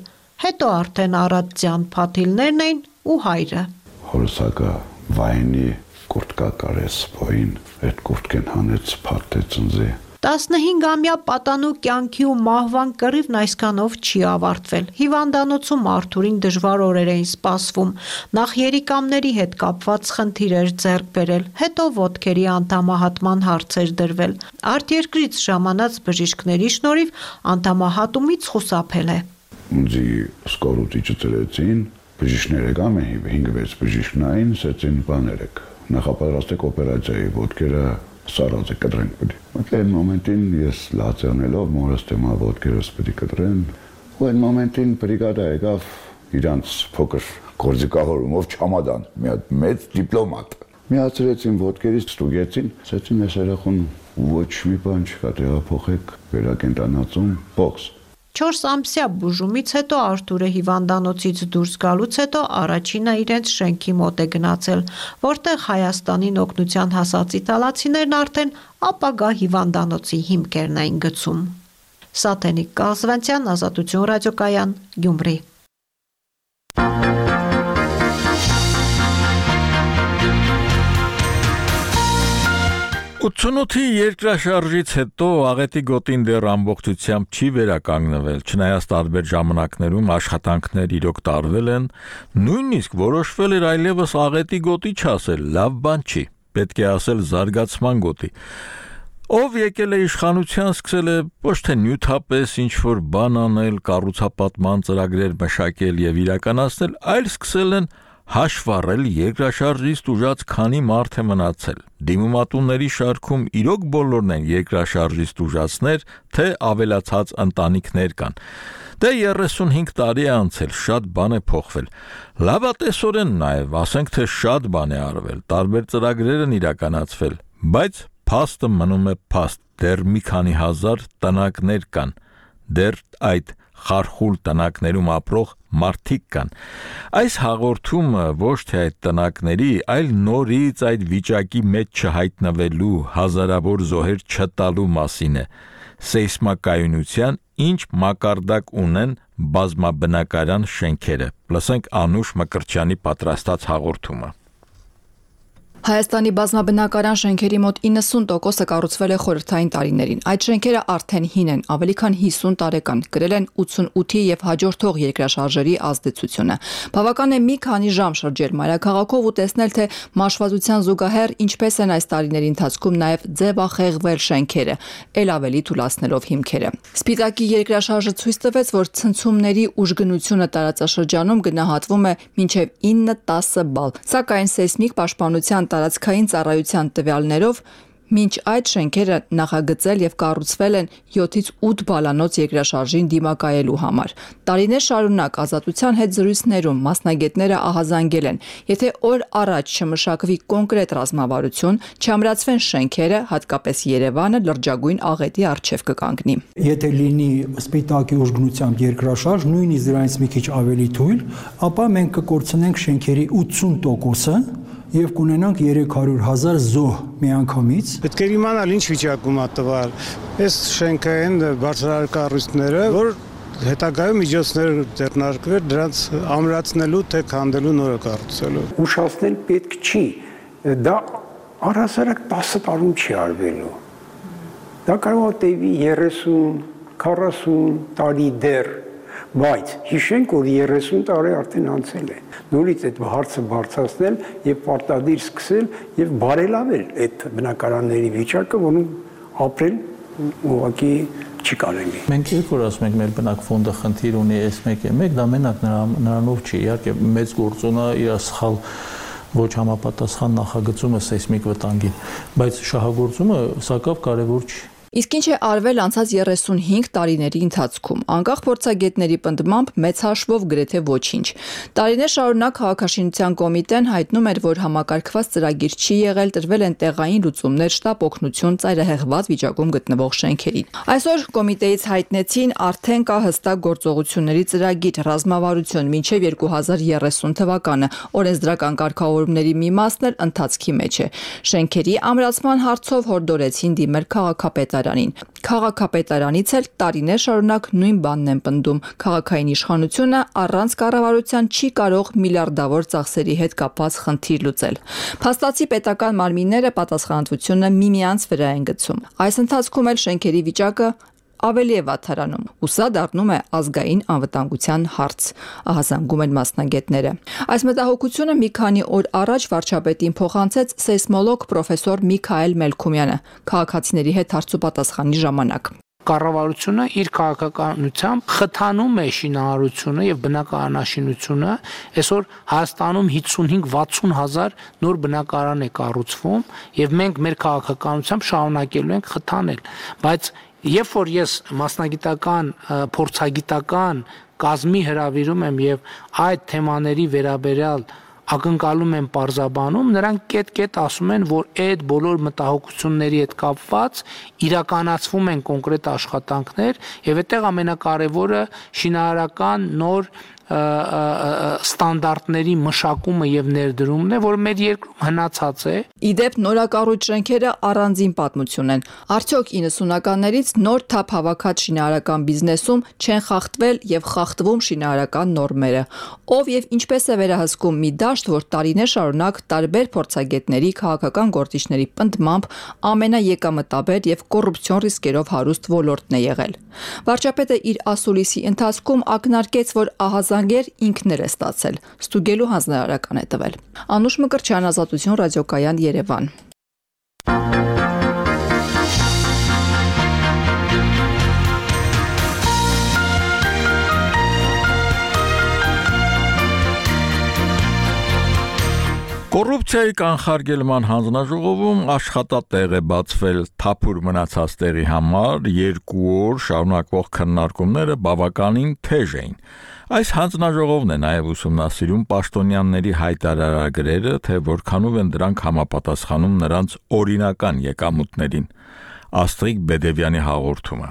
Հետո արդեն առատ ձյան փաթիլներն էին ու հայրը։ Հորսակը վայնի կուրտկա կարես բոյին, այդ կուրտկեն հանեց փաթեց ընձի 15-ամյա պատանու կյանքի ու մահվան կռիվն այսքանով չի ավարտվել։ Հիվանդանոցում Արթուրին դժվար օրեր էին սպասվում։ Նախ երիկամների հետ կապված խնդիրեր ձեռք բերել, հետո ոտքերի անդամահատման հարցեր դրվել։ Արտերկրից ժամանած բժիշկների շնորհիվ անդամահատումից խուսափել է։ Ունձի սկորուտիչը ծրեցին, բժիշկները կամ 5-6 բժիշկնային սեցին բաներեք։ Նախապատրաստեք օպերացիայի ոտքերը սարած է կտրենք պիտի։ Այդ մոմենտին ես լացանելով մորս թեմա ոտքերս պիտի կտրեն, ու այդ մոմենտին բրիգադա եկավ իրանց փոքր գործիքավորումով չամադան, մի հատ մեծ դիպլոմատ։ Միացրեցին ոտքերից, ստուգեցին, ասեցին այս երախուն ոչ մի բան չկա, տեղափոխեք վերակենդանացում, բոքս։ 4 ամսյա բուժումից հետո Արթուրը հիվանդանոցից դուրս գալուց հետո առաջինը իրենց շենքի մոտ է գնացել, որտեղ Հայաստանին օգնության հասած իտալացիներն արդեն ապագա հիվանդանոցի հիմքերն էին գցում։ Սաթենիկ Կազվանցյան, Ազատություն ռադիոկայան, Գյումրի։ 88-ի երկրաշարժից հետո աղետի գոտին դեռ ամբողջությամբ չի վերականգնվել, չնայած տարբեր ժամանակներում աշխատանքներ իրոք տարվել են, նույնիսկ որոշվել էր այլևս աղետի գոտի չասել, լավ բան չի, պետք է ասել զարգացման գոտի։ Ով եկել է իշխանության, սկսել է ոչ թե նյութապես ինչ-որ բան անել, կառուցապատման ծրագրեր մշակել եւ իրականացնել, այլ սկսել են հաշվառել երկրաշարժից տուժած քանի մարդ է մնացել։ Դիմումատունների շարքում իրոք բոլորն են երկրաշարժից տուժածներ, թե ավելացած ընտանիքներ կան։ Դե 35 տարի է անցել, շատ բան է փոխվել։ Լավատեսորեն նաև, ասենք թե շատ բան է արվել, տարբեր ծրագրեր են իրականացվել, բայց փաստը մնում է փաստ, դեռ մի քանի հազար տնակներ կան, դեռ այդ խարխուլ տնակներում ապրող մարդիկ կան։ Այս հաղորդումը ոչ թե այդ տնակների, այլ նորից այդ վիճակի մեջ չհայտնվելու, հազարավոր զոհեր չտալու մասին է։ Սեյսմակայունության ինչ մակարդակ ունեն բազմաբնակարան շենքերը։ Լսենք Անուշ Մկրտչյանի պատրաստած հաղորդումը։ Հայաստանի բազմաբնակարան շենքերի մոտ 90%-ը կառուցվել է խորհրդային տարիներին։ Այդ շենքերը արդեն հին են, ավելի քան 50 տարեկան, կրել են 88-ի եւ հաջորդող երկրաշարժերի ազդեցությունը։ Բավական է մի քանի ժամ շրջել մայրաքաղաքով ու տեսնել, թե մաշվածության զուգահեռ ինչպես են այս տարիների ընթացքում նաեւ ձևախեղվել շենքերը, ել ավելի թուլացնելով հիմքերը։ Սպիտակի երկրաշարժը ցույց տվեց, որ ցնցումների ուժգնությունը տարածաշրջանում գնահատվում է մինչեւ 9-10 բալ, սակայն սեյսմիկ պաշտպանության տարածքային ծառայության տվյալներով մինչ այդ շենքերը նախագծել եւ կառուցվել են 7-ից 8 բալանոց երկրաշարժին դիմակայելու համար։ Տարիներ շարունակ Ազատության հետ զրույցներում մասնագետները ահազանգել են, եթե օր առաջ չմշակվի կոնկրետ ռազմավարություն, չամրացվեն շենքերը, հատկապես Երևանը լրջագույն աղետի առջև կկանգնի։ Եթե լինի սպիտակի ուժգնությամբ երկրաշարժ, նույնիսկ դրանից մի քիչ ավելի թույլ, ապա մենք կկորցնենք շենքերի 80%-ը եւ կունենանք 300,000 զոհ միանգամից։ Պետք է իմանալ ինչ վիճակում է տվալ։ Այս շենքը են բարձրահարկ կառույցները, որ հետագայում միջոցներ ձեռնարկվել դրանց ամրացնելու թե քանդելու նորը կառուցելու։ Ուշացնել պետք չի։ Դա առհասարակ 10 տարում չի արվելու։ Դա կարող է տևի 30-40 տարի դեռ, բայց հիշենք, որ 30 տարի արդեն անցել է։ Նորից այդ հարցը բարձրացնել եւ պարտադիր սկսել եւ բարելավել այդ բնակարանների վիճակը, որում ապրել ուղղակի չի կարելի։ Մենք երբ որ ասում ենք մեր բնակֆոնդը խնդիր ունի S1-1, դա մենակ նրանով չի, իհարկե մեծ գործոնը իր սխալ ոչ համապատասխան նախագծումը սեյսմիկ վտանգին, բայց շահագործումը սակավ կարևոր չի։ Իսկ ինչ է արվել անցած 35 տարիների ընթացքում, անկախ փորձագետների պնդմամբ մեծ հաշվով գրեթե ոչինչ։ Տարիներ շարունակ քաղաքաշինության կոմիտեն հայտնում էր, որ համակարգված ծրագիր չի եղել, տրվել են տեղային լուծումներ, շտապ օգնություն ծայրահեղված վիճակում գտնվող շենքերին։ Այսօր կոմիտեից հայտնեցին արդեն կա հստակ գործողությունների ծրագիր, ռազմավարություն մինչև 2030 թվականը, օրենսդրական կարգավորումների մի մասն էլ ընթացքի մեջ է։ Շենքերի ամրացման հարցով հորդորեցին դիմել քաղաքապետարան քաղաքապետարանին։ Քաղաքապետարանից էլ տարիներ շարունակ նույն բանն են պնդում. քաղաքային իշխանությունը առանց կառավարության չի կարող միլիարդավոր ծախսերի հետ կապված խնդիր լուծել։ Փաստացի պետական մարմինները պատասխանատվությունը միմյանց վրա են գցում։ Այս ընթացքում էլ շենքերի վիճակը ավելի է վատթարանում, ու սա դառնում է ազգային անվտանգության հարց, ահազանգում են մասնագետները։ Այս մտահոգությունը մի քանի օր առաջ վարչապետին փոխանցեց սեյսմոլոգ պրոֆեսոր Միքայել Մելքումյանը քաղաքացիների հետ հարցուպատասխանի ժամանակ։ Կառավարությունը իր քաղաքականությամբ խթանում է շինարարությունը եւ բնակարանաշինությունը, այսօր Հայաստանում 55-60 հազար նոր բնակարան է կառուցվում եւ մենք մեր քաղաքականությամբ շարունակելու ենք խթանել, բայց երբ որ ես մասնագիտական, փորձագիտական կազմի հրավիրում եմ եւ այդ թեմաների վերաբերյալ ակնկալում եմ պարզաբանում, նրանք կետ-կետ ասում են, որ այդ բոլոր մտահոգությունների հետ կապված իրականացվում են կոնկրետ աշխատանքներ եւ այդտեղ ամենակարևորը շինարարական նոր ստանդարտների մշակումը եւ ներդրումն է, որ մեր երկրում հնացած է։ Իդեպ նորակառույց շենքերը առանձին պատմություն են։ Արդյոք 90-ականներից նոր թափ հավաքած շինարարական բիզնեսում չեն խախտվել եւ խախտվում շինարարական նորմերը։ Ով եւ ինչպես է վերահսկում մի դաշտ, որ տարիներ շարունակ տարբեր փորձագետների, քաղաքական գործիչների պնդմամբ ամենաեկամտաբեր եւ կոռուպցիոն ռիսկերով հարուստ ոլորտն է եղել։ Վարչապետը իր ասուլիսի ընթացքում ակնարկեց, որ ահազանգեր ինքն է ստացել, ստուգելու հանձնարարական է տվել։ Անուշ Մկրտչյան, Ազատություն ռադիոկայան, Երևան։ Կոռուպցիայի կանխարգելման հանձնաժողովում աշխատատեղ է բացվել թափուր մնացած տեղի համար 2 օր շարունակվող քննարկումները բավականին թեժ էին։ Այս հանձնաժողովն է նաև ուսումնասիրում պաշտոնյաների հայտարարագրերը, թե որքանով են դրանք համապատասխանում նրանց օրինական եկամուտներին։ Աստղիկ Բեդևյանի հաղորդումը։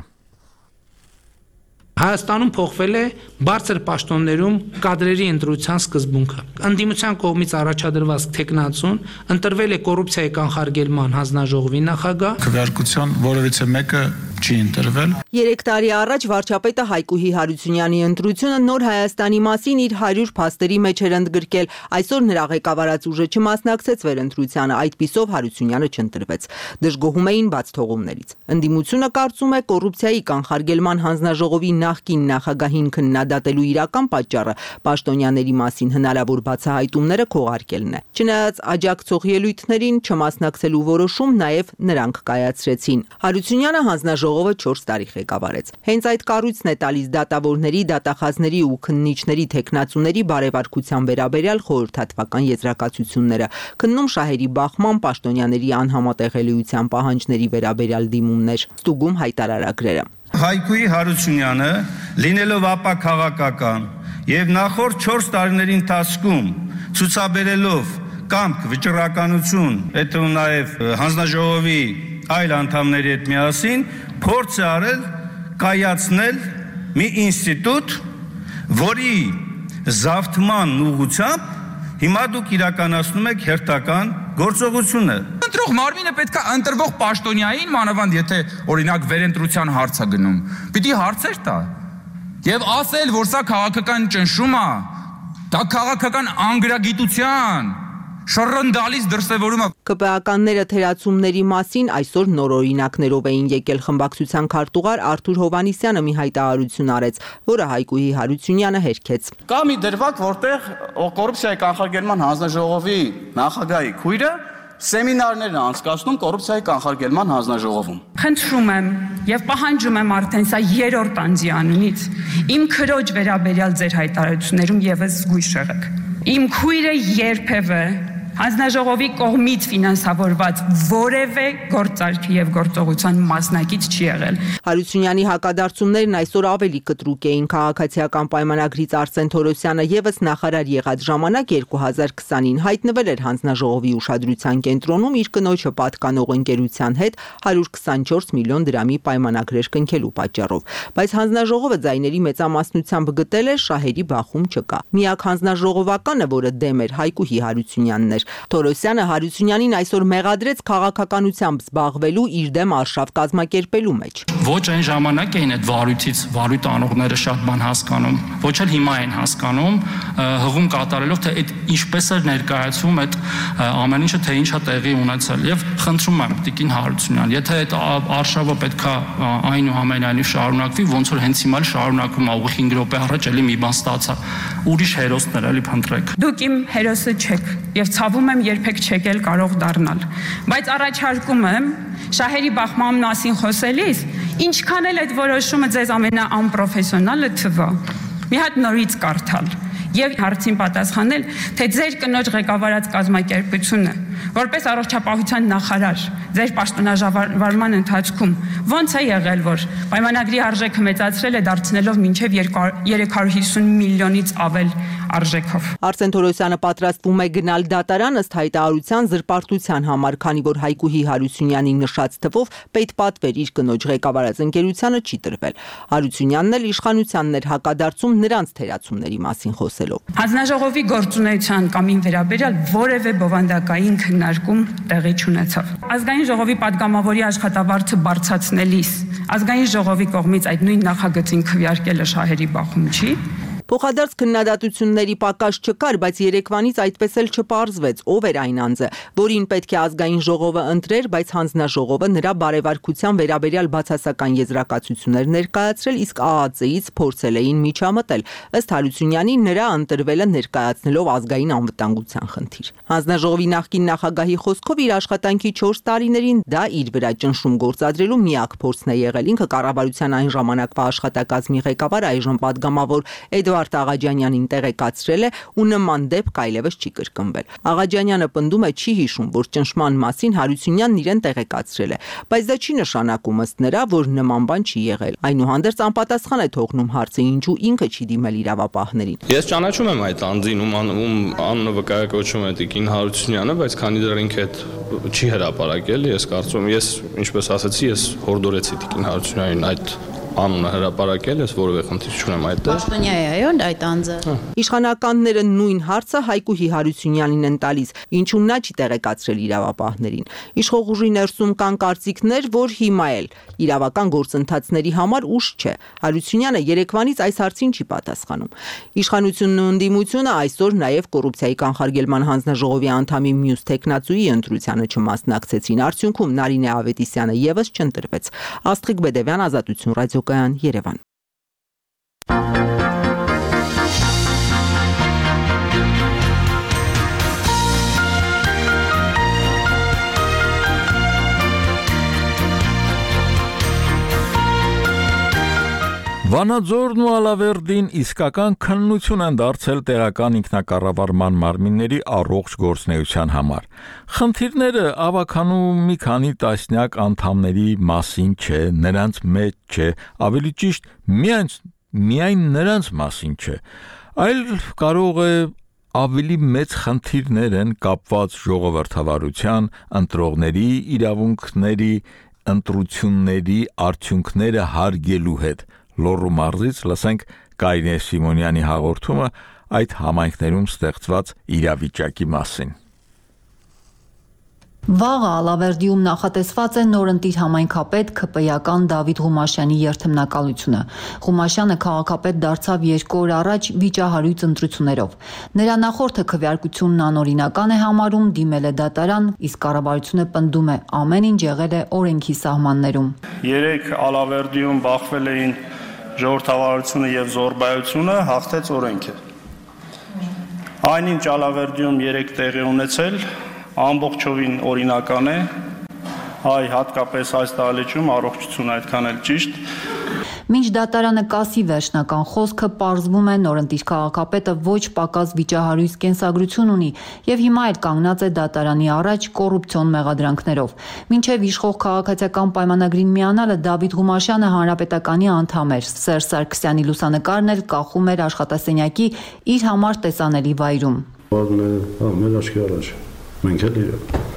Հայաստանում փոխվել է բարձր պաշտոններում կադրերի ընտրության սկզբունքը։ Ընդդիմության կողմից առաջադրված թեկնածուն ընտրվել է կոռուպցիայի կանխարգելման հանձնաժողովի նախագահ։ Քվեարկության որևիցե մեկը չի ընտրվել։ 3 տարի առաջ վարչապետը Հայկուհի Հարությունյանի ընտրությունը նոր Հայաստանի մասին իր 100 փաստերի մեջ էր ընդգրկել։ Այսօր նրա ղեկավարած ուժը չմասնակցեց վերընտրությանը, այդպիսով Հարությունյանը չընտրվեց։ Դժգոհում էին բացթողումներից։ Ընդդիմությունը կարծում է կոռուպցիայի կանխարգելման հանձնաժողովի նախկին նախագահին քննադատելու իրական պատճառը պաշտոնյաների մասին հնարավոր բացահայտումները քողարկելն է։ Չնայած աջակցող ելույթներին չմասնակցելու որոշում նաև նրանք կայացրեցին։ Հարությունյանը հանձնաժողովը 4 տարի ղեկավարեց։ Հենց այդ կառույցն է տալիս դատավորների, դատախազների ու քննիչների թեկնածուների բարեվարկության վերաբերյալ խորհրդատվական եզրակացությունները, քննում շահերի բախման, պաշտոնյաների անհամատեղելիության պահանջների վերաբերյալ դիմումներ, ստուգում հայտարարագրերը։ Հայկուհի Հարությունյանը, լինելով ապա քաղաքական եւ նախորդ 4 տարիների ընթացքում ցուցաբերելով կամք, վճռականություն, այդ նաեւ հանձնաժողովի այլ անդամների հետ միասին փորձ է արել կայացնել մի ինստիտուտ, որի զավթման ուղղությամբ հիմա դուք իրականացնում եք հերթական գործողությունը։ Ընտրող մարմինը պետք է ընտրվող պաշտոնյային, մանավանդ եթե օրինակ վերընտրության հարց է գնում, պիտի հարցեր տա եւ ասել, որ սա քաղաքական ճնշում է, դա քաղաքական անգրագիտության շռնդալից դրսևորում է։ ԿՊԱ-կանները թերացումների մասին այսօր նոր օրինակներով էին եկել։ Խմբակցության քարտուղար Արթուր Հովհաննիսյանը մի հայտարարություն արեց, որը Հայկուհի Հարությունյանը հերքեց։ Կա մի դրվագ, որտեղ կոռուպցիայի կանխարգելման հանձնաժողովի նախագահի քույրը սեմինարներ է անցկացնում կոռուպցիայի կանխարգելման հանձնաժողովում։ Խնդրում եմ եւ պահանջում եմ արդեն սա 3-րդ անձի անունից իմ քրոջ վերաբերյալ ձեր հայտարարություններում եւս զգույշ եղեք։ Իմ քույրը երբևէ հանձնաժողովի կողմից ֆինանսավորված որևէ գործարքի եւ գործողության մասնակից չի եղել։ Հարությունյանի հակադարձումներն այսօր ավելի կտրուկ էին։ Քաղաքացիական պայմանագրից Արսեն Թորոսյանը եւս նախարար եղած ժամանակ 2020-ին հայտնվել էր հանձնաժողովի ուշադրության կենտրոնում իր կնոջը պատկանող ընկերության հետ 124 միլիոն դրամի պայմանագրեր կնքելու պատճառով։ Բայց հանձնաժողովը ձայների մեծամասնությամբ գտել է շահերի բախում չկա։ Միակ հանձնաժողովականը, որը դեմ էր, Հայկուհի Հարությունյանն էր։ Թորոսյանը Հարությունյանին այսօր մեղադրեց քաղաքականությամբ զբաղվելու իր դեմ արշավ կազմակերպելու մեջ։ Ոչ այն ժամանակ էին այդ վարույթ անողները շատ բան հասկանում, ոչ էլ հիմա են հասկանում, հղում կատարելով, թե այդ ինչպես էր ներկայացվում այդ ամեն ինչը, թե ինչա տեղի ունեցել, եւ խնդրում եմ Տիկին Հարությունյան, եթե այդ արշավը պետքա այնուամենայնիվ շարունակվի, ոնց որ հենց հիմա շարունակվում է, ուղիղ 5 րոպե առաջ էլի մի բան ստացա, ուրիշ հերոսներ էլի փնտրեք։ Դուք իմ հերոսը չեք եւ ցավում եմ երբեք չեք էլ կարող դառնալ, բայց առաջարկում եմ շահերի բախման մասին խոսելիս ինչքան էլ այդ որոշումը ձեզ ամենաանպրոֆեսիոնալը թվա, մի հատ նորից կարդալ եւ հարցին պատասխանել, թե ձեր կնոջ ղեկավարած կազմակերպությունը որպես առողջապահության նախարար ձեր պաշտոնաժամկետման ընթացքում ոնց է եղել, որ պայմանագրի արժեքը մեծացրել է դարձնելով մինչև 350 միլիոնից ավել արժեքով։ Արսեն Թորոսյանը պատրաստվում է գնալ դատարան ըստ հայտարարության զրպարտության համար, քանի որ Հայկուհի Հարությունյանի նշած թվով պետպատվեր իր կնոջ ղեկավարած ընկերությանը չի տրվել։ Հարությունյանն էլ իշխանությանն էր հակադարձում նրանց թերացումների մասին խոսելով։ Հանձնաժողովի գործունեության կամին վերաբերյալ որևէ բովանդակային քննարկում տեղի չունեցավ։ Ազգային ժողովի падգամավորի աշխատավարձը բարձրացնելիս ազգային ժողովի կողմից այդ նույն նախագծին քվեարկելը շահերի բախում չի։ Փոխադարձ քննադատությունների պակաս չկար, բայց երեկվանից այդպես էլ չպարզվեց, ով էր այն անձը, որին պետք է ազգային ժողովը ընտրեր, բայց հանձնաժողովը նրա բարևարկության վերաբերյալ բացասական եզրակացություններ ներկայացրել, իսկ ԱԱԾ-ից փորձել էին միջամտել։ Ըստ Հարությունյանի նրա ընտրվելը ներկայացնելով ազգային անվտանգության խնդիր։ Հանձնաժողովի նախկին նախագահի խոսքով իր աշխատանքի 4 տարիներին դա իր վրա ճնշում գործադրելու միակ փորձն է եղել։ Ինքը կառավարության այն ժամանակվա աշխատակազմի ղեկավար, այժմ падգամավոր Էդվարդ Աղաջանյանին տեղեկացրել է ու նման դեպք այլևս չի կրկնվել։ Աղաջանյանը պնդում է չի հիշում, որ ճնշման մասին Հարությունյանն իրեն տեղեկացրել է, բայց դա չի նշանակում ըստ նրա, որ նման բան չի եղել։ Այնուհանդերձ անպատասխան է թողնում հարցը, ինչու ինքը չի դիմել իրավապահներին։ Ես ճանաչում եմ այդ անձին, ում անունը վկայակոչում է Տիկին Հարությունյանը, բայց քանի դեռ ինքը այդ չի հրապարակել, ես կարծում եմ, ես ինչպես ասացի, ես հորդորեցի Տիկին Հարությունյանին այդ անունը հրապարակել, ես որևէ խնդիր չունեմ այդտեղ։ Պաշտոնյա է, այո, այդ անձը։ Իշխանականները նույն հարցը Հայկուհի Հարությունյանին են տալիս, ինչու նա չի տեղեկացրել իրավապահներին։ Իշխող ուժի ներսում կան կարծիքներ, որ հիմա էլ իրավական գործընթացների համար ուշ չէ։ Հարությունյանը երեկվանից այս հարցին չի պատասխանում։ Իշխանությունն ու ընդդիմությունը այսօր նաև կոռուպցիայի կանխարգելման հանձնաժողովի անդամի մյուս տեխնացուի ընտրությանը չմասնակցեցին։ Արդյունքում Նարինե Ավետիսյանը եւս չընտրվեց։ Աստղիկ Բեդևյան, Ազատություն, Ռադիոկայան, Երևան։ Վանաձորն ու Ալավերդին իսկական քննություն են դարձել տեղական ինքնակառավարման մարմինների առողջ գործունեության համար։ Խնդիրները ավականու մի քանի տասնյակ անդամների մասին չէ, նրանց մեջ չէ, ավելի ճիշտ միայն նրանց մասին չէ, այլ կարող է ավելի մեծ խնդիրներ են կապված ժողովրդավարության, ընտրողների իրավունքների, ընտրությունների արդյունքները հարգելու հետ։ Լոռու մարզից լսենք Կարինե Սիմոնյանի հաղորդումը այդ համայնքներում ստեղծված իրավիճակի մասին։ Վաղը Ալավերդիում նախատեսված է նորընտիր համայնքապետ ՔՊ-ական Դավիթ Ղումաշյանի երթմնակալությունը։ Ղումաշյանը քաղաքապետ դարձավ 2 օր առաջ վիճահարույց ընտրություններով։ Նրա նախորդը քվեարկությունն անօրինական է համարում, դիմել է դատարան, իսկ կառավարությունը պնդում է ամեն ինչ եղել է օրենքի սահմաններում։ 3 Ալավերդիում բախվել էին ժողովրդավարությունը եւ զոռբայությունը, հաղթեց օրենքը։ Այնինչ Ալավերդիում 3 տեղի ունեցել ամբողջովին օրինական է, այ հատկապես այս դահլիճում առողջությունը այդքան էլ ճիշտ։ Մինչ դատարանը կասի վերջնական խոսքը, պարզվում է նորընտիր քաղաքապետը ոչ պակաս վիճահարույց կենսագրություն ունի եւ հիմա էլ կանգնած է դատարանի առաջ կոռուպցիոն մեղադրանքներով։ Մինչեւ իշխող քաղաքացիական պայմանագրին միանալը Դավիթ Ղումաշյանը հանրապետականի անդամ էր։ Սերժ Սարգսյանի լուսանկարն էլ կախում էր աշխատասենյակի իր համար տեսանելի վայրում։ Մեր աչքի առաջ, մենք էլ իրար։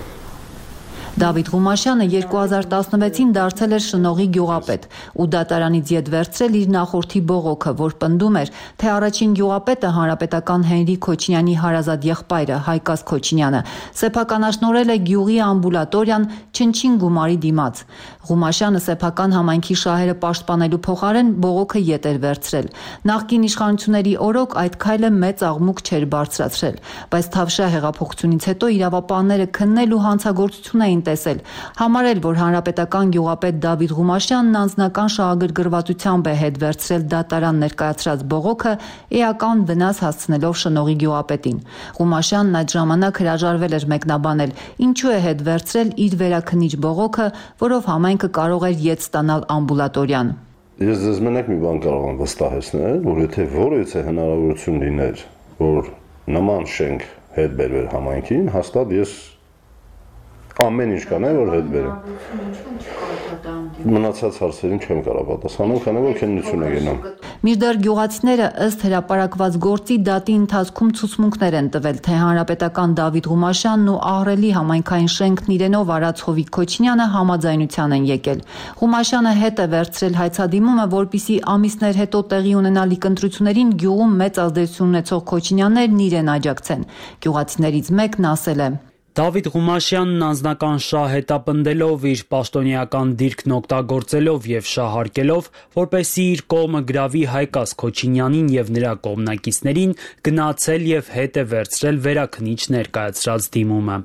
Դավիթ Ղումաշյանը 2016-ին դարձել էր շնողի գյուղապետ ու դատարանից ետ վերցրել իր նախորդի բողոքը, որ պնդում էր, թե առաջին գյուղապետը հանրապետական Հենրի Քոչինյանի հարազատ եղբայրը Հայկազ Քոչինյանը սեփականաշնորհել է գյուղի ամբուլատորիան չնչին գումարի դիմաց։ Ղումաշյանը սեփական համայնքի շահերը պաշտպանելու փոխարեն բողոքը ետ էր վերցրել։ Նախկին իշխանությունների օրոք այդ քայլը մեծ աղմուկ չէր բարձրացրել, բայց Թավշյա հեղափոխությունից հետո իրավապահները քննել ու հանցագործություն էին տեսել, համարել, որ հանրապետական գյուղապետ Դավիթ Ղումաշյանն անձնական շահագրգռվածությամբ է հետ վերցրել դատարան ներկայացրած բողոքը, էական վնաս հասցնելով շնողի գյուղապետին։ Ղումաշյանն այդ ժամանակ հրաժարվել էր մեկնաբանել, ինչու է հետ վերցրել իր վերաքննիչ բողոքը, որով համայնքը կարող էր ետ ստանալ ամբուլատորիան։ Ես ձեզ մենակ մի բան կարող եմ վստահեցնել, որ եթե որևիցե հնարավորություն լիներ, որ նման շենք հետ բերվեր համայնքին, հաստատ ես ամեն ինչ կանեմ, որ հետ բերեմ։ Մնացած հարցերին չեմ կարող պատասխանել, քանի որ քննություն է գնում։ Մինչդեռ գյուղացիները ըստ հրապարակված գործի դատի ընթացքում ցուցմունքներ են տվել, թե հանրապետական Դավիթ Ղումաշյանն ու Ահռելի համայնքային շենքն իրենով արած Հովիկ Քոչինյանը համաձայնության են եկել։ Ղումաշյանը հետ է վերցրել հայցադիմումը, որպիսի ամիսներ հետո տեղի ունենալիք ընտրություններին գյուղում մեծ ազդեցություն ունեցող Քոչինյաններն իրեն աջակցեն։ Գյուղացիներից մեկն ասել է. Դավիթ Ղումաշյանն անձնական շահ հետապնդելով, իր պաշտոնեական դիրքն օգտագործելով եւ շահարկելով, որպեսզի իր կողմը գրավի Հայկազ Քոչինյանին եւ նրա կողմնակիցներին, գնացել եւ հետ է վերցրել վերաքնիչ ներկայացրած դիմումը։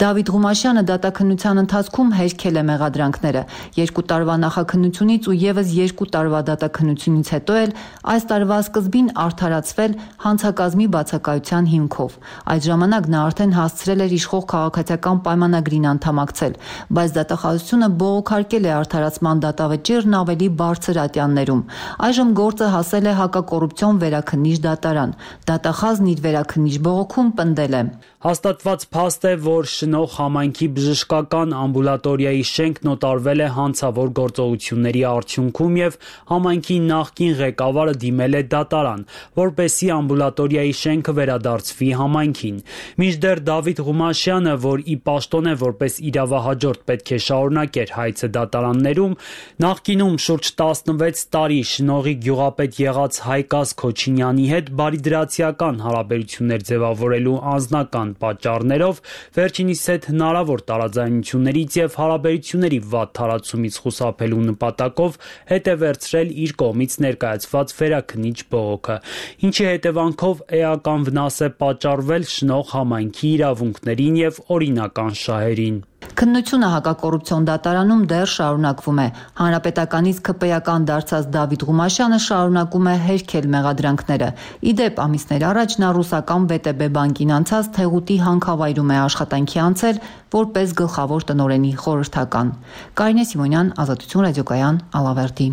Դավիթ Ղումաշյանը դատաքննության ընթացքում հերքել է մեղադրանքները։ 2 տարվա նախաքննությունից ու եւս 2 տարվա դատաքննությունից հետո էլ այս տարվա սկզբին արդարացվել հանցակազմի բացակայության հիմքով։ Այդ ժամանակ նա արդեն հասցրել էր իշխող քաղաքացիական պայմանագրին անդամակցել, բայց դատախազությունը բողոքարկել է արդարացման դատավճիռն ավելի բարձր ատյաններում։ Այժմ գործը հասել է հակակոռուպցիոն վերաքննիչ դատարան։ Դատախազն իր վերաքննիչ բողոքում պնդել է. Հաստատված փաստ է, որ շնող համայնքի բժշկական ամբուլատորիայի շենքն օտարվել է հանցավոր գործողությունների արդյունքում եւ համայնքի նախկին ղեկավարը դիմել է դատարան, որպեսզի ամբուլատորիայի շենքը վերադարձվի համայնքին։ Մինչդեռ Դավիթ Ղումաշյանը, որ ի պաշտոն է որպես իրավահաջորդ պետք է շարունակեր հայցը դատարաններում, նախկինում շուրջ 16 տարի շնողի գյուղապետ եղած Հայկազ Քոչինյանի հետ բարիդրացիական հարաբերություններ ձևավորելու անձնական պատճառներով վերջինիս հետ հնարավոր տարաձայնություններից եւ հարաբերությունների վատ տարածումից խուսափելու նպատակով հետ է վերցրել իր կողմից ներկայացված վերաքննիչ բողոքը, ինչի հետևանքով էական վնաս է պատճառվել շնող համայնքի իրավունքներին եւ օրինական շահերին։ Քննությունը հակակոռուպցիոն դատարանում դեռ շարունակվում է։ Հանրապետականից ԿՊ-ական դարձած Դավիթ Ղումաշյանը շարունակում է հերքել մեղադրանքները։ Իդեպ ամիսներ առաջ նա ռուսական ՎՏԲ բանկին անցած Թեղուտի հանքավայրում է աշխատանքի անցել որպես գլխավոր տնօրենի խորհրդական։ Կարինե Սիմոնյան, Ազատություն ռադիոկայան, Ալավերդի։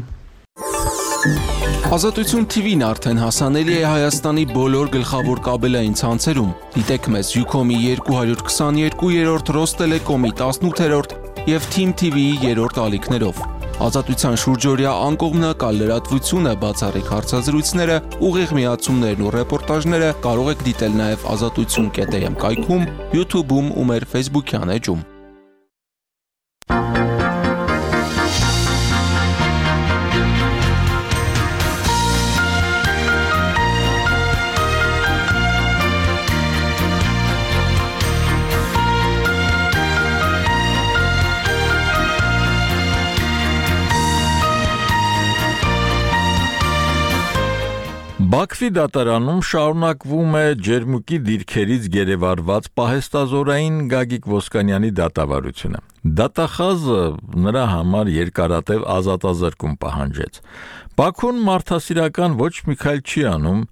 Ազատություն TV-ն արդեն հասանելի է Հայաստանի բոլոր գլխավոր կաբելային ցանցերում։ Դիտեք մեզ Ucom-ի 222-րդ, Ռոստելեկոմի 18-րդ եւ Team TV-ի 3-րդ ալիքներով։ Ազատության շուրջօրյա անկողմնակալ լրատվությունը, բացառիկ հարցազրույցները, ուղիղ միացումներն ու ռեպորտաժները կարող եք դիտել նաեւ azatutsun.am կայքում, YouTube-ում ու մեր Facebook-յան էջում։ Բաքվի դատարանում շարունակվում է ջերմուկի դիրքերից գերեվարված պահեստազորային Գագիկ Ոսկանյանի դատավարությունը։ Դատախազը նրա համար երկարատև ազատազրկում պահանջեց։ Բաքուն մարդասիրական ոչ մի քայլ չի անում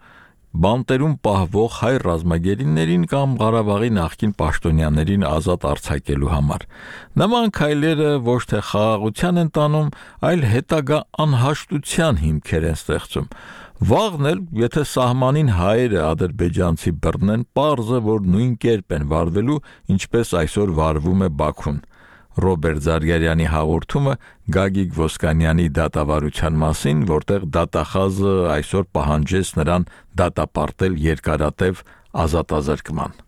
բանտերում պահվող հայ ռազմագերիներին կամ Ղարաբաղի նախկին պաշտոնյաներին ազատ արձակելու համար։ Նման քայլերը ոչ թե խաղաղության են տանում, այլ հետագա անհաշտության հիմքեր են ստեղծում։ Վաղն էլ, եթե սահմանին հայերը ադրբեջանցի բռնեն, պարզ է, որ նույն կերպ են վարվելու, ինչպես այսօր վարվում է Բաքուն։ Ռոբերտ Զարգարյանի հաղորդումը Գագիկ Ոսկանյանի դատավարության մասին, որտեղ դատախազը այսօր պահանջեց նրան դատապարտել երկարատև ազատազրկման։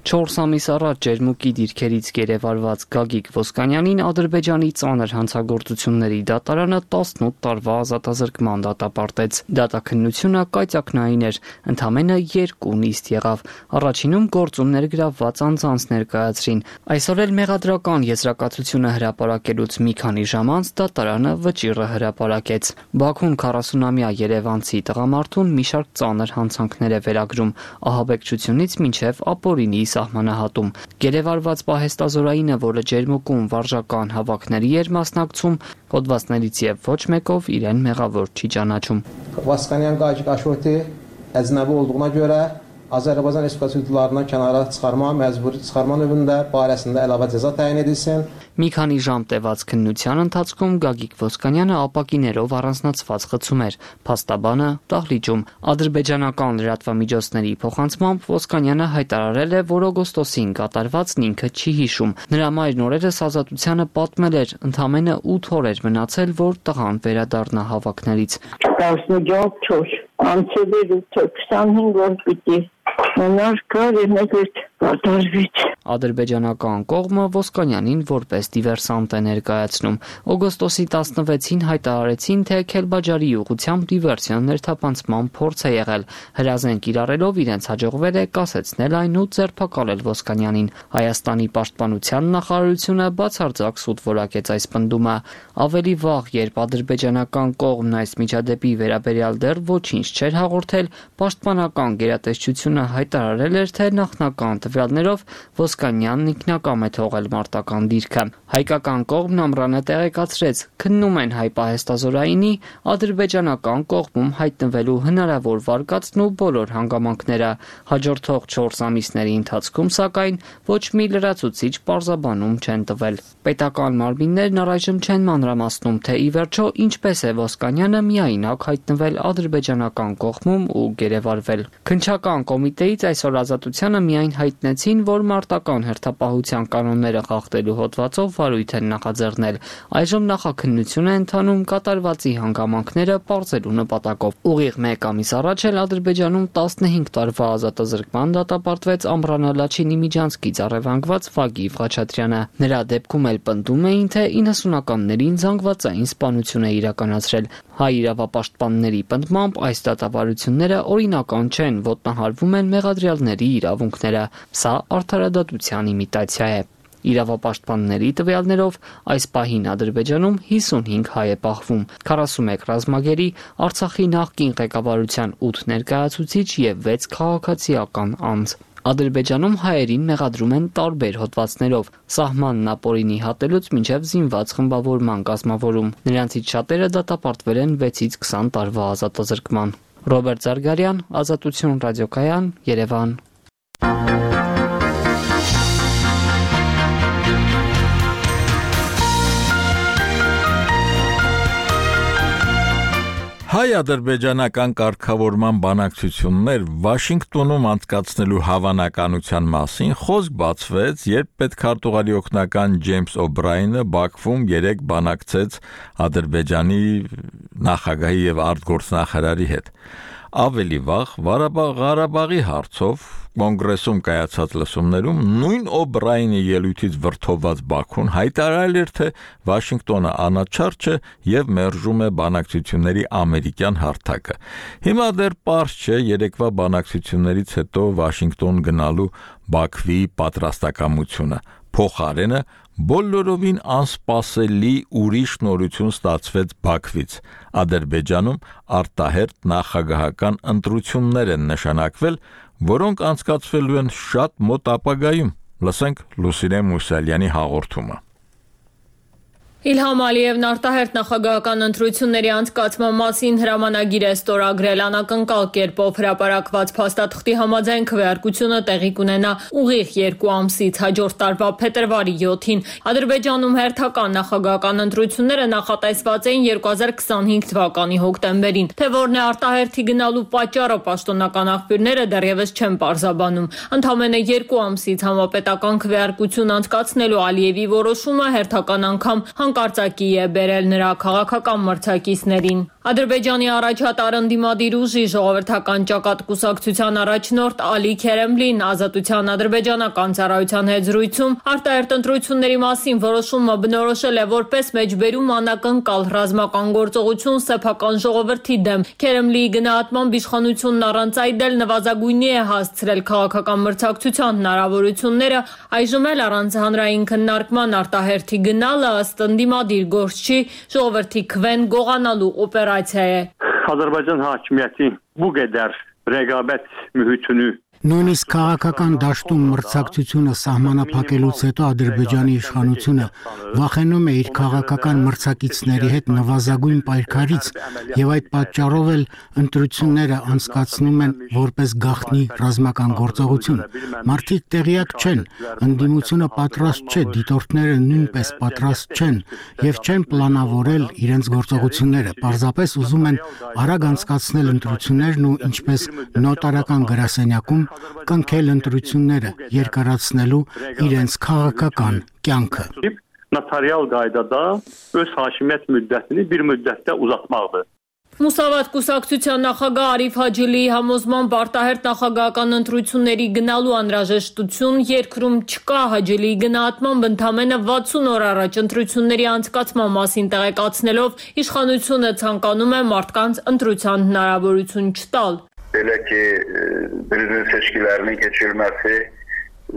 4 ամիս առաջ ջերմուկի դիրքերից գերեվարված Գագիկ Ոսկանյանին Ադրբեջանի ծանր հանցագործությունների դատարանը 18 տարվա ազատազրկման դատապարտեց։ Դատաքննությունը կայծակնային էր, ընդամենը 2 նիստ եղավ։ Առաջինում գործում ներգրավված անձանց ներկայացրին։ Այսօր էլ մեղադրական եզրակացությունը հրապարակելուց մի քանի ժամ անց դատարանը վճիռը հրապարակեց։ Բաքուն 40-ամյա երևանցի տղամարդուն մի շարք ծանր հանցանքներ է վերագրում, ահաբեկչությունից մինչև ապօրինի սահմանահատում։ Գերեվարված պահեստազորայինը, որը ջերմուկում վարժական հավաքների էր մասնակցում, հոդվածներից եւ ոչ մեկով իրեն մեղավոր չի ճանաչում։ Վասկանյան Գագիկ Աշոտի əznəbi olduğuna görə Azərbaycan Respublikasına kənara çıxarma, məcburi çıxarma növündə barəsində əlavə cəza təyin edilsin. Մի քանի ժամ տևած քննության ընթացքում Գագիկ Ոսկանյանը ապակիներով առանձնացված խցում էր, փաստաբանը դահլիճում։ Ադրբեջանական լրատվամիջոցների փոխանցմամբ Ոսկանյանը հայտարարել է, որ օգոստոսին կատարվածն ինքը չի հիշում։ Նրա մայրն օրերս Ազատությանը պատմել էր, ընդամենը 8 օր էր մնացել, որ տղան վերադառնա հավաքներից։ 14 անցել 25 օր պիտի մնար կար եւ մեկ կատարվեց։ Ադրբեջանական կողմը Ոսկանյանին որպես դիվերսանտ է ներկայացնում։ Օգոստոսի 16-ին հայտարարեցին, թե Քելբաջարի ուղղությամբ դիվերսիոն ներթափանցման փորձ է եղել։ Հրազեն կիրառելով իրենց հաջողվել է կասեցնել այն ու ձերբակալել Ոսկանյանին։ Հայաստանի պաշտպանության նախարարությունը բացարձակ սուտ որակեց այս պնդումը։ Ավելի վաղ, երբ ադրբեջանական կողմն այս միջադեպի վերաբերյալ դեռ ոչինչ չէր հաղորդել, պաշտպանական գերատեսչությունը հայտարարել էր, թե նախնական տվյալներով Ոսկանյանն ինքնակամ է թողել մարտական դիրքը։ Հայկական կողմն ամռանը տեղեկացրեց, քննում են հայ պահեստազորայինի ադրբեջանական կողմում հայտնվելու հնարավոր վարկածն ու բոլոր հանգամանքները։ Հաջորդող 4 ամիսների ընթացքում, սակայն, ոչ մի լրացուցիչ պարզաբանում չեն տվել։ Պետական մարմիններն առայժմ չեն մանրամասնում, թե ի վերջո ինչպես է Ոսկանյանը միայնակ հայտնվել ադրբեջանական կողմում ու գերեվարվել։ Քննչական կոմիտեից այսօր Ազատությանը միայն հայտնեցին, որ մարտական հերթապահության կանոնները խախտելու հոդվածով վարույթ են նախաձեռնել։ Այժմ նախաքննություն է ընթանում կատարվածի հանգամանքները պարզելու նպատակով։ Ուղիղ 1 ամիս առաջ էլ Ադրբեջանում 15 տարվա ազատազրկման դատապարտվեց Ամռանա Լաչինի Միջանցքից առևանգված Վագիվ Ղաչատրյանը։ Նրա դեպքում էլ պնդում էին, թե 90-ականներին զանգվածային սպանություն է իրականացրել։ Հայ իրավապաշտպանների պնդմամբ այս դատավարությունները օրինական չեն, ոտնահարվում են մեղադրյալների իրավունքները։ Սա արդարադատության իմիտացիա է։ Իրավապաշտպանների տվյալներով այս պահին Ադրբեջանում 55 հայ է պահվում, 41 ռազմագերի, Արցախի նախկին ղեկավարության 8 ներկայացուցիչ եւ 6 քաղաքացիական անձ։ Ադրբեջանում հայերին մեղադրում են տարբեր հոդվածներով՝ սահմանն ապօրինի հատելուց մինչև զինված խմբավորման կազմավորում։ Նրանցից շատերը դատապարտվել են 6-ից 20 տարվա ազատազրկման։ Ռոբերտ Զարգարյան, Ազատություն ռադիոկայան, Երևան։ Հայ-ադրբեջանական կարգավորման բանակցություններ Վաշինգտոնում անցկացնելու հավանականության մասին խոսք բացվեց, երբ պետքարտուղարի օգնական Ջեյմս Օբրայենը Բաքվում 3 բանակցեց Ադրբեջանի նախագահի եւ արտգործնախարարի հետ։ Ավելի վաղ Ղարաբաղի հարցով կոնգրեսում կայացած լսումներում նույն Օբրայենի ելույթից վրդովված Բաքուն հայտարարել էր, թե Վաշինգտոնը անաչառ չէ եւ մերժում է բանակցությունների ամերիկյան հարթակը։ Հիմա դեռ պարզ չէ երեկվա բանակցություններից հետո Վաշինգտոն գնալու Բաքվի պատրաստակամությունը։ Փոխարենը բոլորովին անսպասելի ուրիշ նորություն ստացվեց Բաքվից։ Ադրբեջանում արտահերթ նախագահական ընտրություններ են նշանակվել, որոնք անցկացվելու են շատ մոտ ապագայում։ Լսենք Լուսինե Մուսալյանի հաղորդումը։ Իլհամ Ալիևն արտահերթ նախագահական ընտրությունների անցկացման մասին հրամանագիր է ստորագրել անակնկալ կերպով հրապարակված փաստաթղթի համաձայն քվեարկությունը տեղի կունենա ուղիղ 2 ամսից հաջորդ տարվա փետրվարի 7-ին։ Ադրբեջանում հերթական նախագահական ընտրությունները նախատեսված էին 2025 թվականի հոկտեմբերին, թե որն է արտահերթի գնալու պատճառը պաշտոնական աղբյուրները դեռևս չեն պարզաբանում։ Ընդամենը 2 ամսից համապետական քվեարկություն անցկացնելու Ալիևի որոշումը հերթական անգամ հանկարծակի է բերել նրա քաղաքական մրցակիցներին։ Ադրբեջանի առաջատար ընդդիմադիր ուժի ժողովրդական ճակատ կուսակցության առաջնորդ Ալի Քերեմլին Ազատության ադրբեջանական ծառայության հետ զրույցում արտահերտ ընտրությունների մասին որոշումը բնորոշել է որպես մեջբերում անակնկալ ռազմական գործողություն սեփական ժողովրդի դեմ։ Քերեմլիի գնահատմամբ իշխանությունն առանց այդ էլ նվազագույնի է հասցրել քաղաքական մրցակցության հնարավորությունները, այժմ էլ առանց հանրային քննարկման արտահերթի գնալը ըստ ընդդիմադիր գործչի ժողովրդի քվեն գողանալու օպերացիա է։ Azərbaycan hakimiyyəti bu qədər rəqabət mühitini Նույնիսկ քաղաքական դաշտում մրցակցությունը սահմանափակելուց հետո Ադրբեջանի իշխանությունը վախենում է իր քաղաքական մրցակիցների հետ նվազագույն պայքարից եւ այդ պատճառով էլ ընտրությունները անցկացնում են որպես գաղտնի ռազմական գործողություն։ Մարդիկ տեղյակ չեն, ընդդիմությունը պատրաստ չէ, դիտորդները նույնպես պատրաստ չեն եւ չեն պլանավորել իրենց գործողությունները։ Պարզապես ուզում են արագ անցկացնել ընտրություններն ու ինչպես նոտարական գրասենյակում կնքել ընտրությունները, երկարացնելու իրենց քաղաքական կյանքը։ Նոտարիալ qaydada öz hakimiyyət müddətini bir müddətdə uzatmaqdır։ Մուսավատ կուսակցության նախագահ Արիֆ Հաջիլիի համոզմամբ արտահերթ նախագահական ընտրությունների գնալու անհրաժեշտություն երկրում չկա։ Հաջիլիի գնահատմամբ ընդամենը 60 օր առաջ ընտրությունների անցկացման մասին տեղեկացնելով իշխանությունը ցանկանում է մարդկանց ընտրության հնարավորություն չտալ։ Belə ki, prezident seçkilərinin keçirilməsi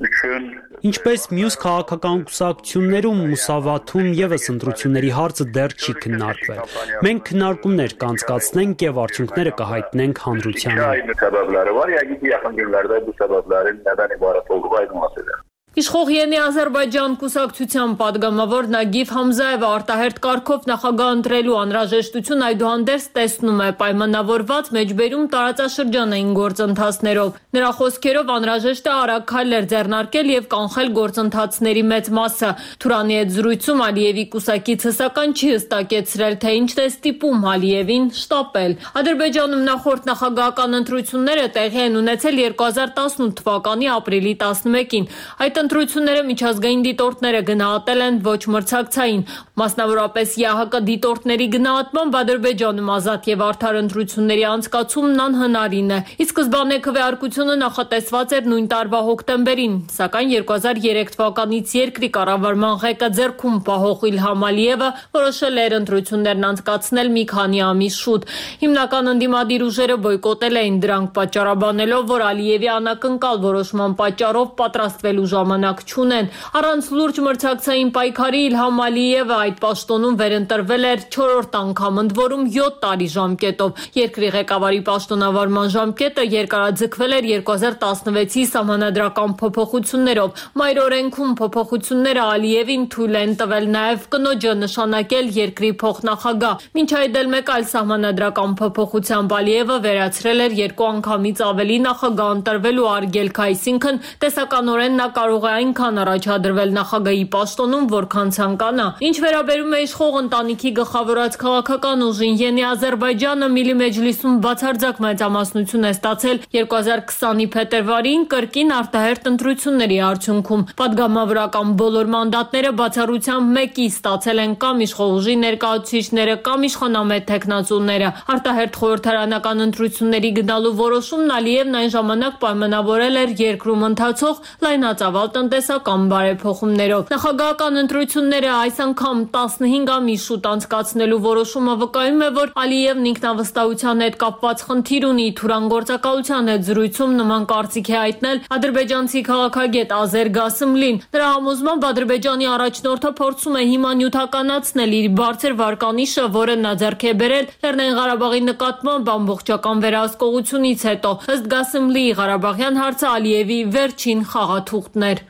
üçün Ինչպես մյուս քաղաքական կուսակցություններում Մուսավաթում եւս ընտրությունների հարցը դեռ չի քննարկվել։ Մենք քննարկումներ կանցկացնենք եւ արդյունքները կհայտնենք հանրությանը։ Səbəbləri var, yəqin ki, yaxın günlərdə bu səbəblərin nədən ibarət olduğu aydınlaşacaq։ Իշխող Ենի Ադրբեջան կուսակցության падգամավոր Նագիվ Համզաևը արտահերթ կարգով նախագահ ընտրելու անհրաժեշտություն այդուհանդերձ տեսնում է պայմանավորված մեջբերում տարածաշրջանային գործընթացներով։ Նրա խոսքերով անհրաժեշտ է արագ քայլեր ձեռնարկել եւ կանխել գործընթացների մեծ մասը։ Թուրանի հետ զրույցում Ալիևի կուսակիցը սակայն չի հստակեցրել, թե ինչն է ստիպում Ալիևին շտապել։ Ադրբեջանում նախորդ նախագահական ընտրությունները տեղի են ունեցել 2018 թվականի ապրիլի 11-ին։ Այդ ընտրությունները միջազգային դիտորդները գնահատել են ոչ մրցակցային, մասնավորապես ԵԱՀԿ դիտորդների գնահատմամբ Ադրբեջանում ազատ եւ արդար ընտրությունների անցկացումն անհնարին է։ Ի սկզբանե քվեարկությունը նախատեսված էր նույն տարվա հոկտեմբերին, սակայն 2003 թվականից երկրի կառավարման ղեկը ձեռքում պահող Իլհամ Ալիևը որոշել էր ընտրություններն անցկացնել մի քանի ամիս շուտ։ Հիմնական ընդդիմադիր ուժերը բոյկոտել էին դրանք պատճառաբանելով, որ Ալիևի անակնկալ որոշման պատճառով պատրաստվելու ժամանակ չունեն։ Առանց լուրջ մրցակցային պայքարի Իլհամ Ալիևը այդ պաշտոնում վերընտրվել էր 4-րդ անգամ, ընդ որում 7 տարի ժամկետով։ Երկրի ղեկավարի պաշտոնավարման ժամկետը երկարաձգվել էր 2016-ի սահմանադրական փոփոխություններով։ Մայր օրենքում փոփոխությունները Ալիևին թույլ են տվել նաև կնոջը նշանակել երկրի փոխնախագահ։ Մինչ այդ էլ մեկ այլ սահմանադրական փոփոխությամբ Ալիևը վերացրել էր 2 անգամից ավելի նախագահ ընտրվելու արգելք, այսինքն տեսականորեն նա կարող է այնքան առաջադրվել նախագահի պաշտոնում, որքան ցանկանա։ Ինչ վերաբերում է իշխող ընտանիքի գլխավորած քաղաքական ուժին, Ենի Ադրբեջանը Միլի Մեջլիսում բացարձակ մեծամասնություն է ստացել 2020-ի փետրվարին կրկին արտահերթ ընտրությունների արդյունքում։ Պատգամավորական բոլոր մանդատները բացառությամբ մեկի ստացել են կամ իշխող ուժի ներկայացուցիչները, կամ իշխանամետ տեխնացուները։ Արտահերթ խորհրդարանական ընտրությունների գնալու որոշումն Ալիևն այն ժամանակ պայմանավորել էր երկրում ընթացող լայնածավալ տնտեսական բարեփոխումներով։ Նախագահական ընտրությունները այս անգամ 15 ամիս շուտ անցկացնելու որոշումը վկայում է, որ Ալիևն ինքնավստահության հետ կապված խնդիր ունի։ Թուրան գործակալության հետ զրույցում նման կարծիք է հայտնել ադրբեջանցի քաղաքագետ Ազեր Գասիմլին։ Նրա համոզմամբ Ադրբեջանի առաջնորդը փորձում է հիմա նյութականացնել իր բարձր վարկանիշը, որը նա ձեռք է բերել Լեռնային Ղարաբաղի նկատմամբ ամբողջական վերահսկողությունից հետո։ Ըստ Գասիմլիի Ղարաբաղյան հարցը Ալիևի վերջին խաղաթուղթն էր։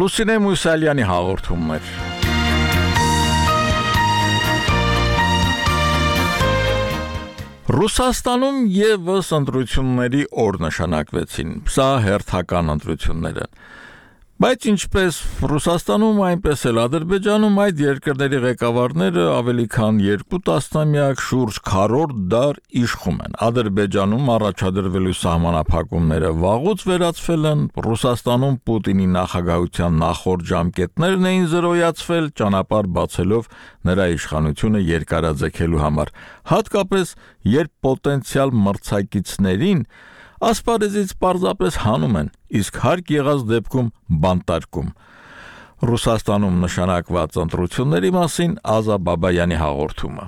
Լուսինե Մուսալյանի հաղորդումներ։ Ռուսաստանում եւս ընտրությունների օր նշանակվեցին։ Սա հերթական ընտրություններ են։ Բայց ինչպես Ռուսաստանում, այնպես էլ Ադրբեջանում այդ երկրների ղեկավարները ավելի քան 2 տասնամյակ շուրջ քառորդ դար իշխում են։ Ադրբեջանում առաջադրվելու սահմանափակումները վաղուց վերացվել են, Ռուսաստանում Պուտինի նախագահության նախորդ ժամկետներն էին զրոյացվել, ճանապարհ բացելով նրա իշխանությունը երկարաձգելու համար, հատկապես երբ պոտենցիալ մրցակիցներին ասպարեզից պարզապես հանում են, իսկ հարկ եղած դեպքում բանտարկում։ Ռուսաստանում նշանակված ընտրությունների մասին Ազա Բաբայանի հաղորդումը։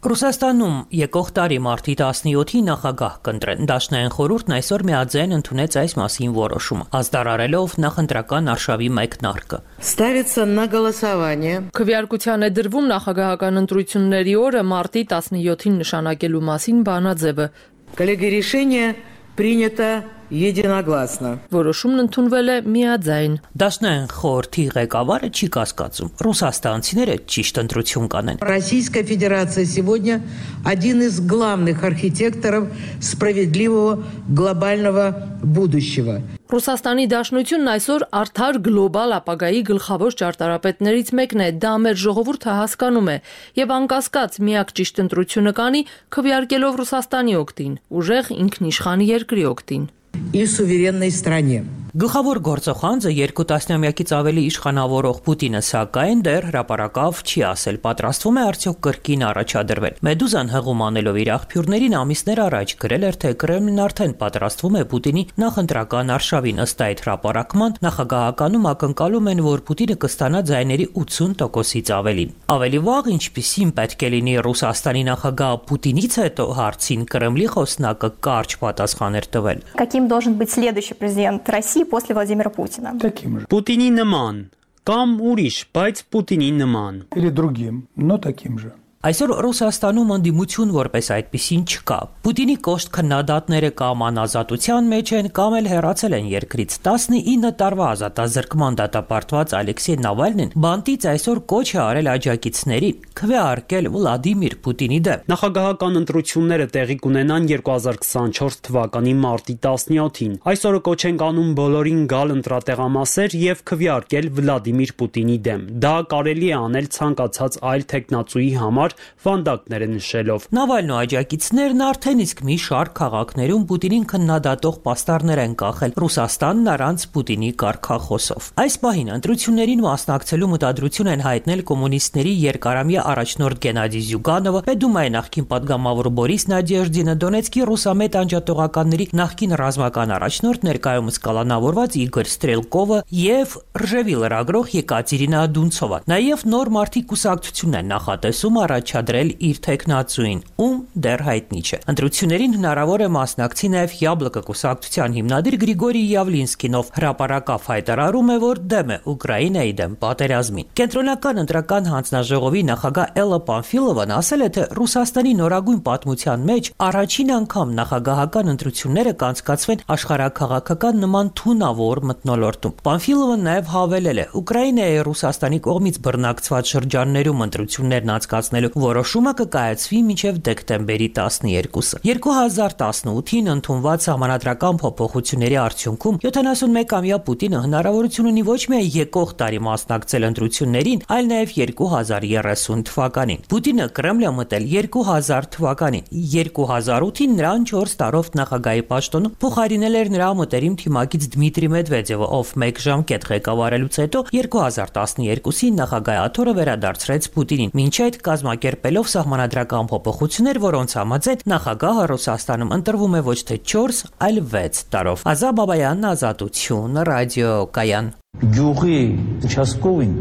Ռուսաստանում եկող տարի մարտի 17-ի նախագահ կընտրեն։ Դաշնային խորհուրդն այսօր միաձայն ընդունեց այս մասին որոշումը, ազդարարելով նախընտրական արշավի մեկնարկը։ Ставится на голосование. Քվեարկության է դրվում նախագահական ընտրությունների օրը մարտի 17-ին նշանակելու մասին բանաձևը։ Коллеги, решение принято единогласно. Որոշումն ընդունվել է միաձայն։ Դաշնային խորհրդի ղեկավարը չի կասկածում, ռուսաստանցիները ճիշտ ընտրություն կանեն։ Российская Федерация сегодня один из главных архитекторов справедливого глобального будущего. Ռուսաստանի Դաշնությունն այսօր արդար գլոբալ ապագայի գլխավոր ճարտարապետներից մեկն է, դա մեր ժողովուրդը հասկանում է եւ անկասկած միակ ճիշտ ընտրությունը կանի քվեարկելով Ռուսաստանի օգտին, ուժեղ ինքնիշխան երկրի օգտին։ И суверенной стране. Գլխավոր գործողանձը 2 տասնամյակից ավելի իշխանավորող Պուտինը սակայն դեռ հրապարակավ չի ասել, պատրաստվում է արդյոք կրկին առաջադրվել։ Մեդուզան հղում անելով իր աղբյուրներին ամիսներ առաջ գրել էր, թե Կրեմլին արդեն պատրաստվում է Պուտինի նախընտրական արշավին, ըստ այդ հրապարակման նախագահականում ակնկալում են, որ Պուտինը կստանա ձայների 80%-ից ավելի։ Ավելի վաղ ինչպիսին պետք է լինի Ռուսաստանի նախագահ Պուտինից հետո հարցին Կրեմլի խոսնակը կարճ պատասխան էր տվել։ Каким должен быть следующий президент России после Владимира Путина? Таким же. Путини նման, կամ ուրիշ, բայց Պուտինի նման. Или другим, но таким же. Այսօր Ռուսաստանում ընդդիմություն որպես այդպիսին չկա։ Պուտինի կոշտ քննադատները կամ անազատության մեջ են, կամ էլ հեռացել են երկրից։ 19 տարվա ազատազրկման դատապարտված Ալեքսեյ Նավալնին բանտից այսօր կոչ է արել աջակիցներին քվեարկել Վլադիմիր Պուտինի դեմ։ Նախագահական ընտրությունները տեղի կունենան 2024 թվականի մարտի 17-ին։ Այսօրը կոչ են անում բոլորին գալ ընտրատեղամասեր եւ քվեարկել Վլադիմիր Պուտինի դեմ։ Դա կարելի է անել ցանկացած այլ տեխնացուի համար վանդակները նշելով։ Նավալնու աջակիցներն արդեն իսկ մի շարք քաղաքներում Պուտինին քննադատող պաստառներ են կախել Ռուսաստանն առանց Պուտինի կարգախոսով։ Այս պահին ընտրություններին մասնակցելու մտադրություն են հայտնել կոմունիստների երկարամյա առաջնորդ Գենադի Զյուգանովը, Պետդումայի նախկին падգամավոր Բորիս Նադեժդինը, Դոնեցկի ռուսամետ անջատողականների նախկին ռազմական առաջնորդ ներկայումս կալանավորված Իգոր Ստրելկովը եւ Ռժևի լրագրող Եկատերինա Դունցովան։ Նաեւ նոր մարտի կուսակցությունն են նախատեսում առաջադրել իր տեխնացուին, ում դեռ հայտնի չէ։ Ընտրություններին հնարավոր է մասնակցի նաև Յաբլոկը կուսակցության հիմնադիր Գրիգորի Յավլինսկին, ով հրապարակավ հայտարարում է, որ դեմ է Ուկրաինայի դեմ պատերազմին։ Կենտրոնական ընտրական հանձնաժողովի նախագահ Էլլա Պանֆիլովան ասել է, թե Ռուսաստանի նորագույն պատմության մեջ առաջին անգամ նախագահական ընտրությունները կանցկացվեն աշխարհաքաղաքական նման թունավոր մթնոլորտում։ Պանֆիլովան նաև հավելել է, Ուկրաինայի Ռուսաստանի կողմից բռնակցված շրջաններում ընտրություններն անցկացնելու որոշումը կկայացվի մինչև դեկտեմբերի 12-ը։ 2018-ին ընդունված համանadrական փոփոխությունների արդյունքում 71-ամյա Պուտինը հնարավորություն ունի ոչ միայն եկող տարի մասնակցել ընտրություններին, այլ նաև 2030 թվականին։ Պուտինը Կրեմլ է մտել 2000 թվականին։ 2008-ին նրան 4 տարով նախագահի պաշտոնում փոխարինել էր նրա մտերիմ թիմակից Դմիտրի Մեդվեդևը, ով 1 ժամկետ ղեկավարելուց հետո 2012-ին նախագահաթոռը վերադարձրեց Պուտինին, մինչ այդ կազմակերպելով սահմանադրական փոփոխություններ, որոնց համաձայն նախագահը Ռուսաստանում ընտրվում է ոչ թե 4, այլ 6 տարով։ Ազա Բաբայանն, Ազատություն, ռադիոկայան։ Գյուղի участковին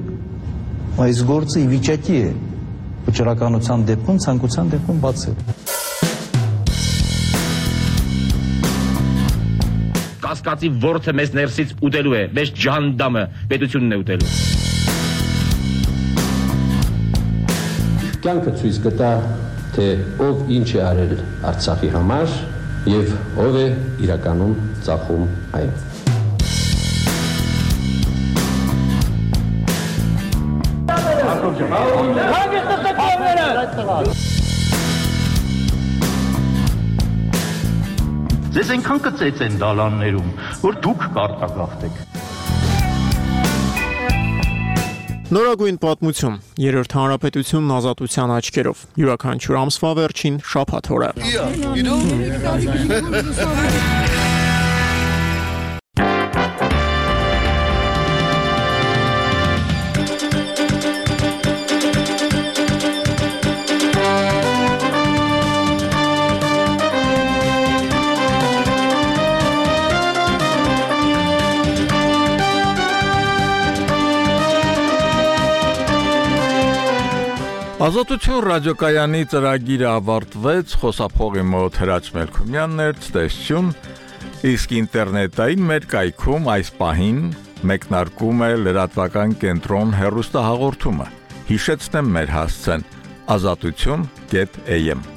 այս գործը ի վիճակի է վճռականության դեպքում, ցանկության դեպքում բացել։ Կասկածի ворթը մեզ ներսից ուտելու է, մեզ ջանդամը պետությունն է ուտելու։ Կյանքը ցույց կտա, թե ով ինչ է արել Արցախի համար եւ ով է իրականում ծախում այն։ Ձեզ այնքան կծեծեն դալաններում, որ դուք կարտագաղթեք։ Նորագույն պատմություն, երրորդ հանրապետությունն ազատության աչքերով, յուրաքանչյուր ամսվա վերջին շաբաթ օրը։ Ազատություն ռադիոկայանի ծրագիրը ավարտվեց, խոսափողի մոտ Հրաչ Մելքումյանն էր, ցտեսություն, իսկ ինտերնետային մեր կայքում այս պահին մեկնարկում է լրատվական կենտրոն հեռուստահաղորդումը։ Հիշեցնեմ մեր հասցեն azatutyon.am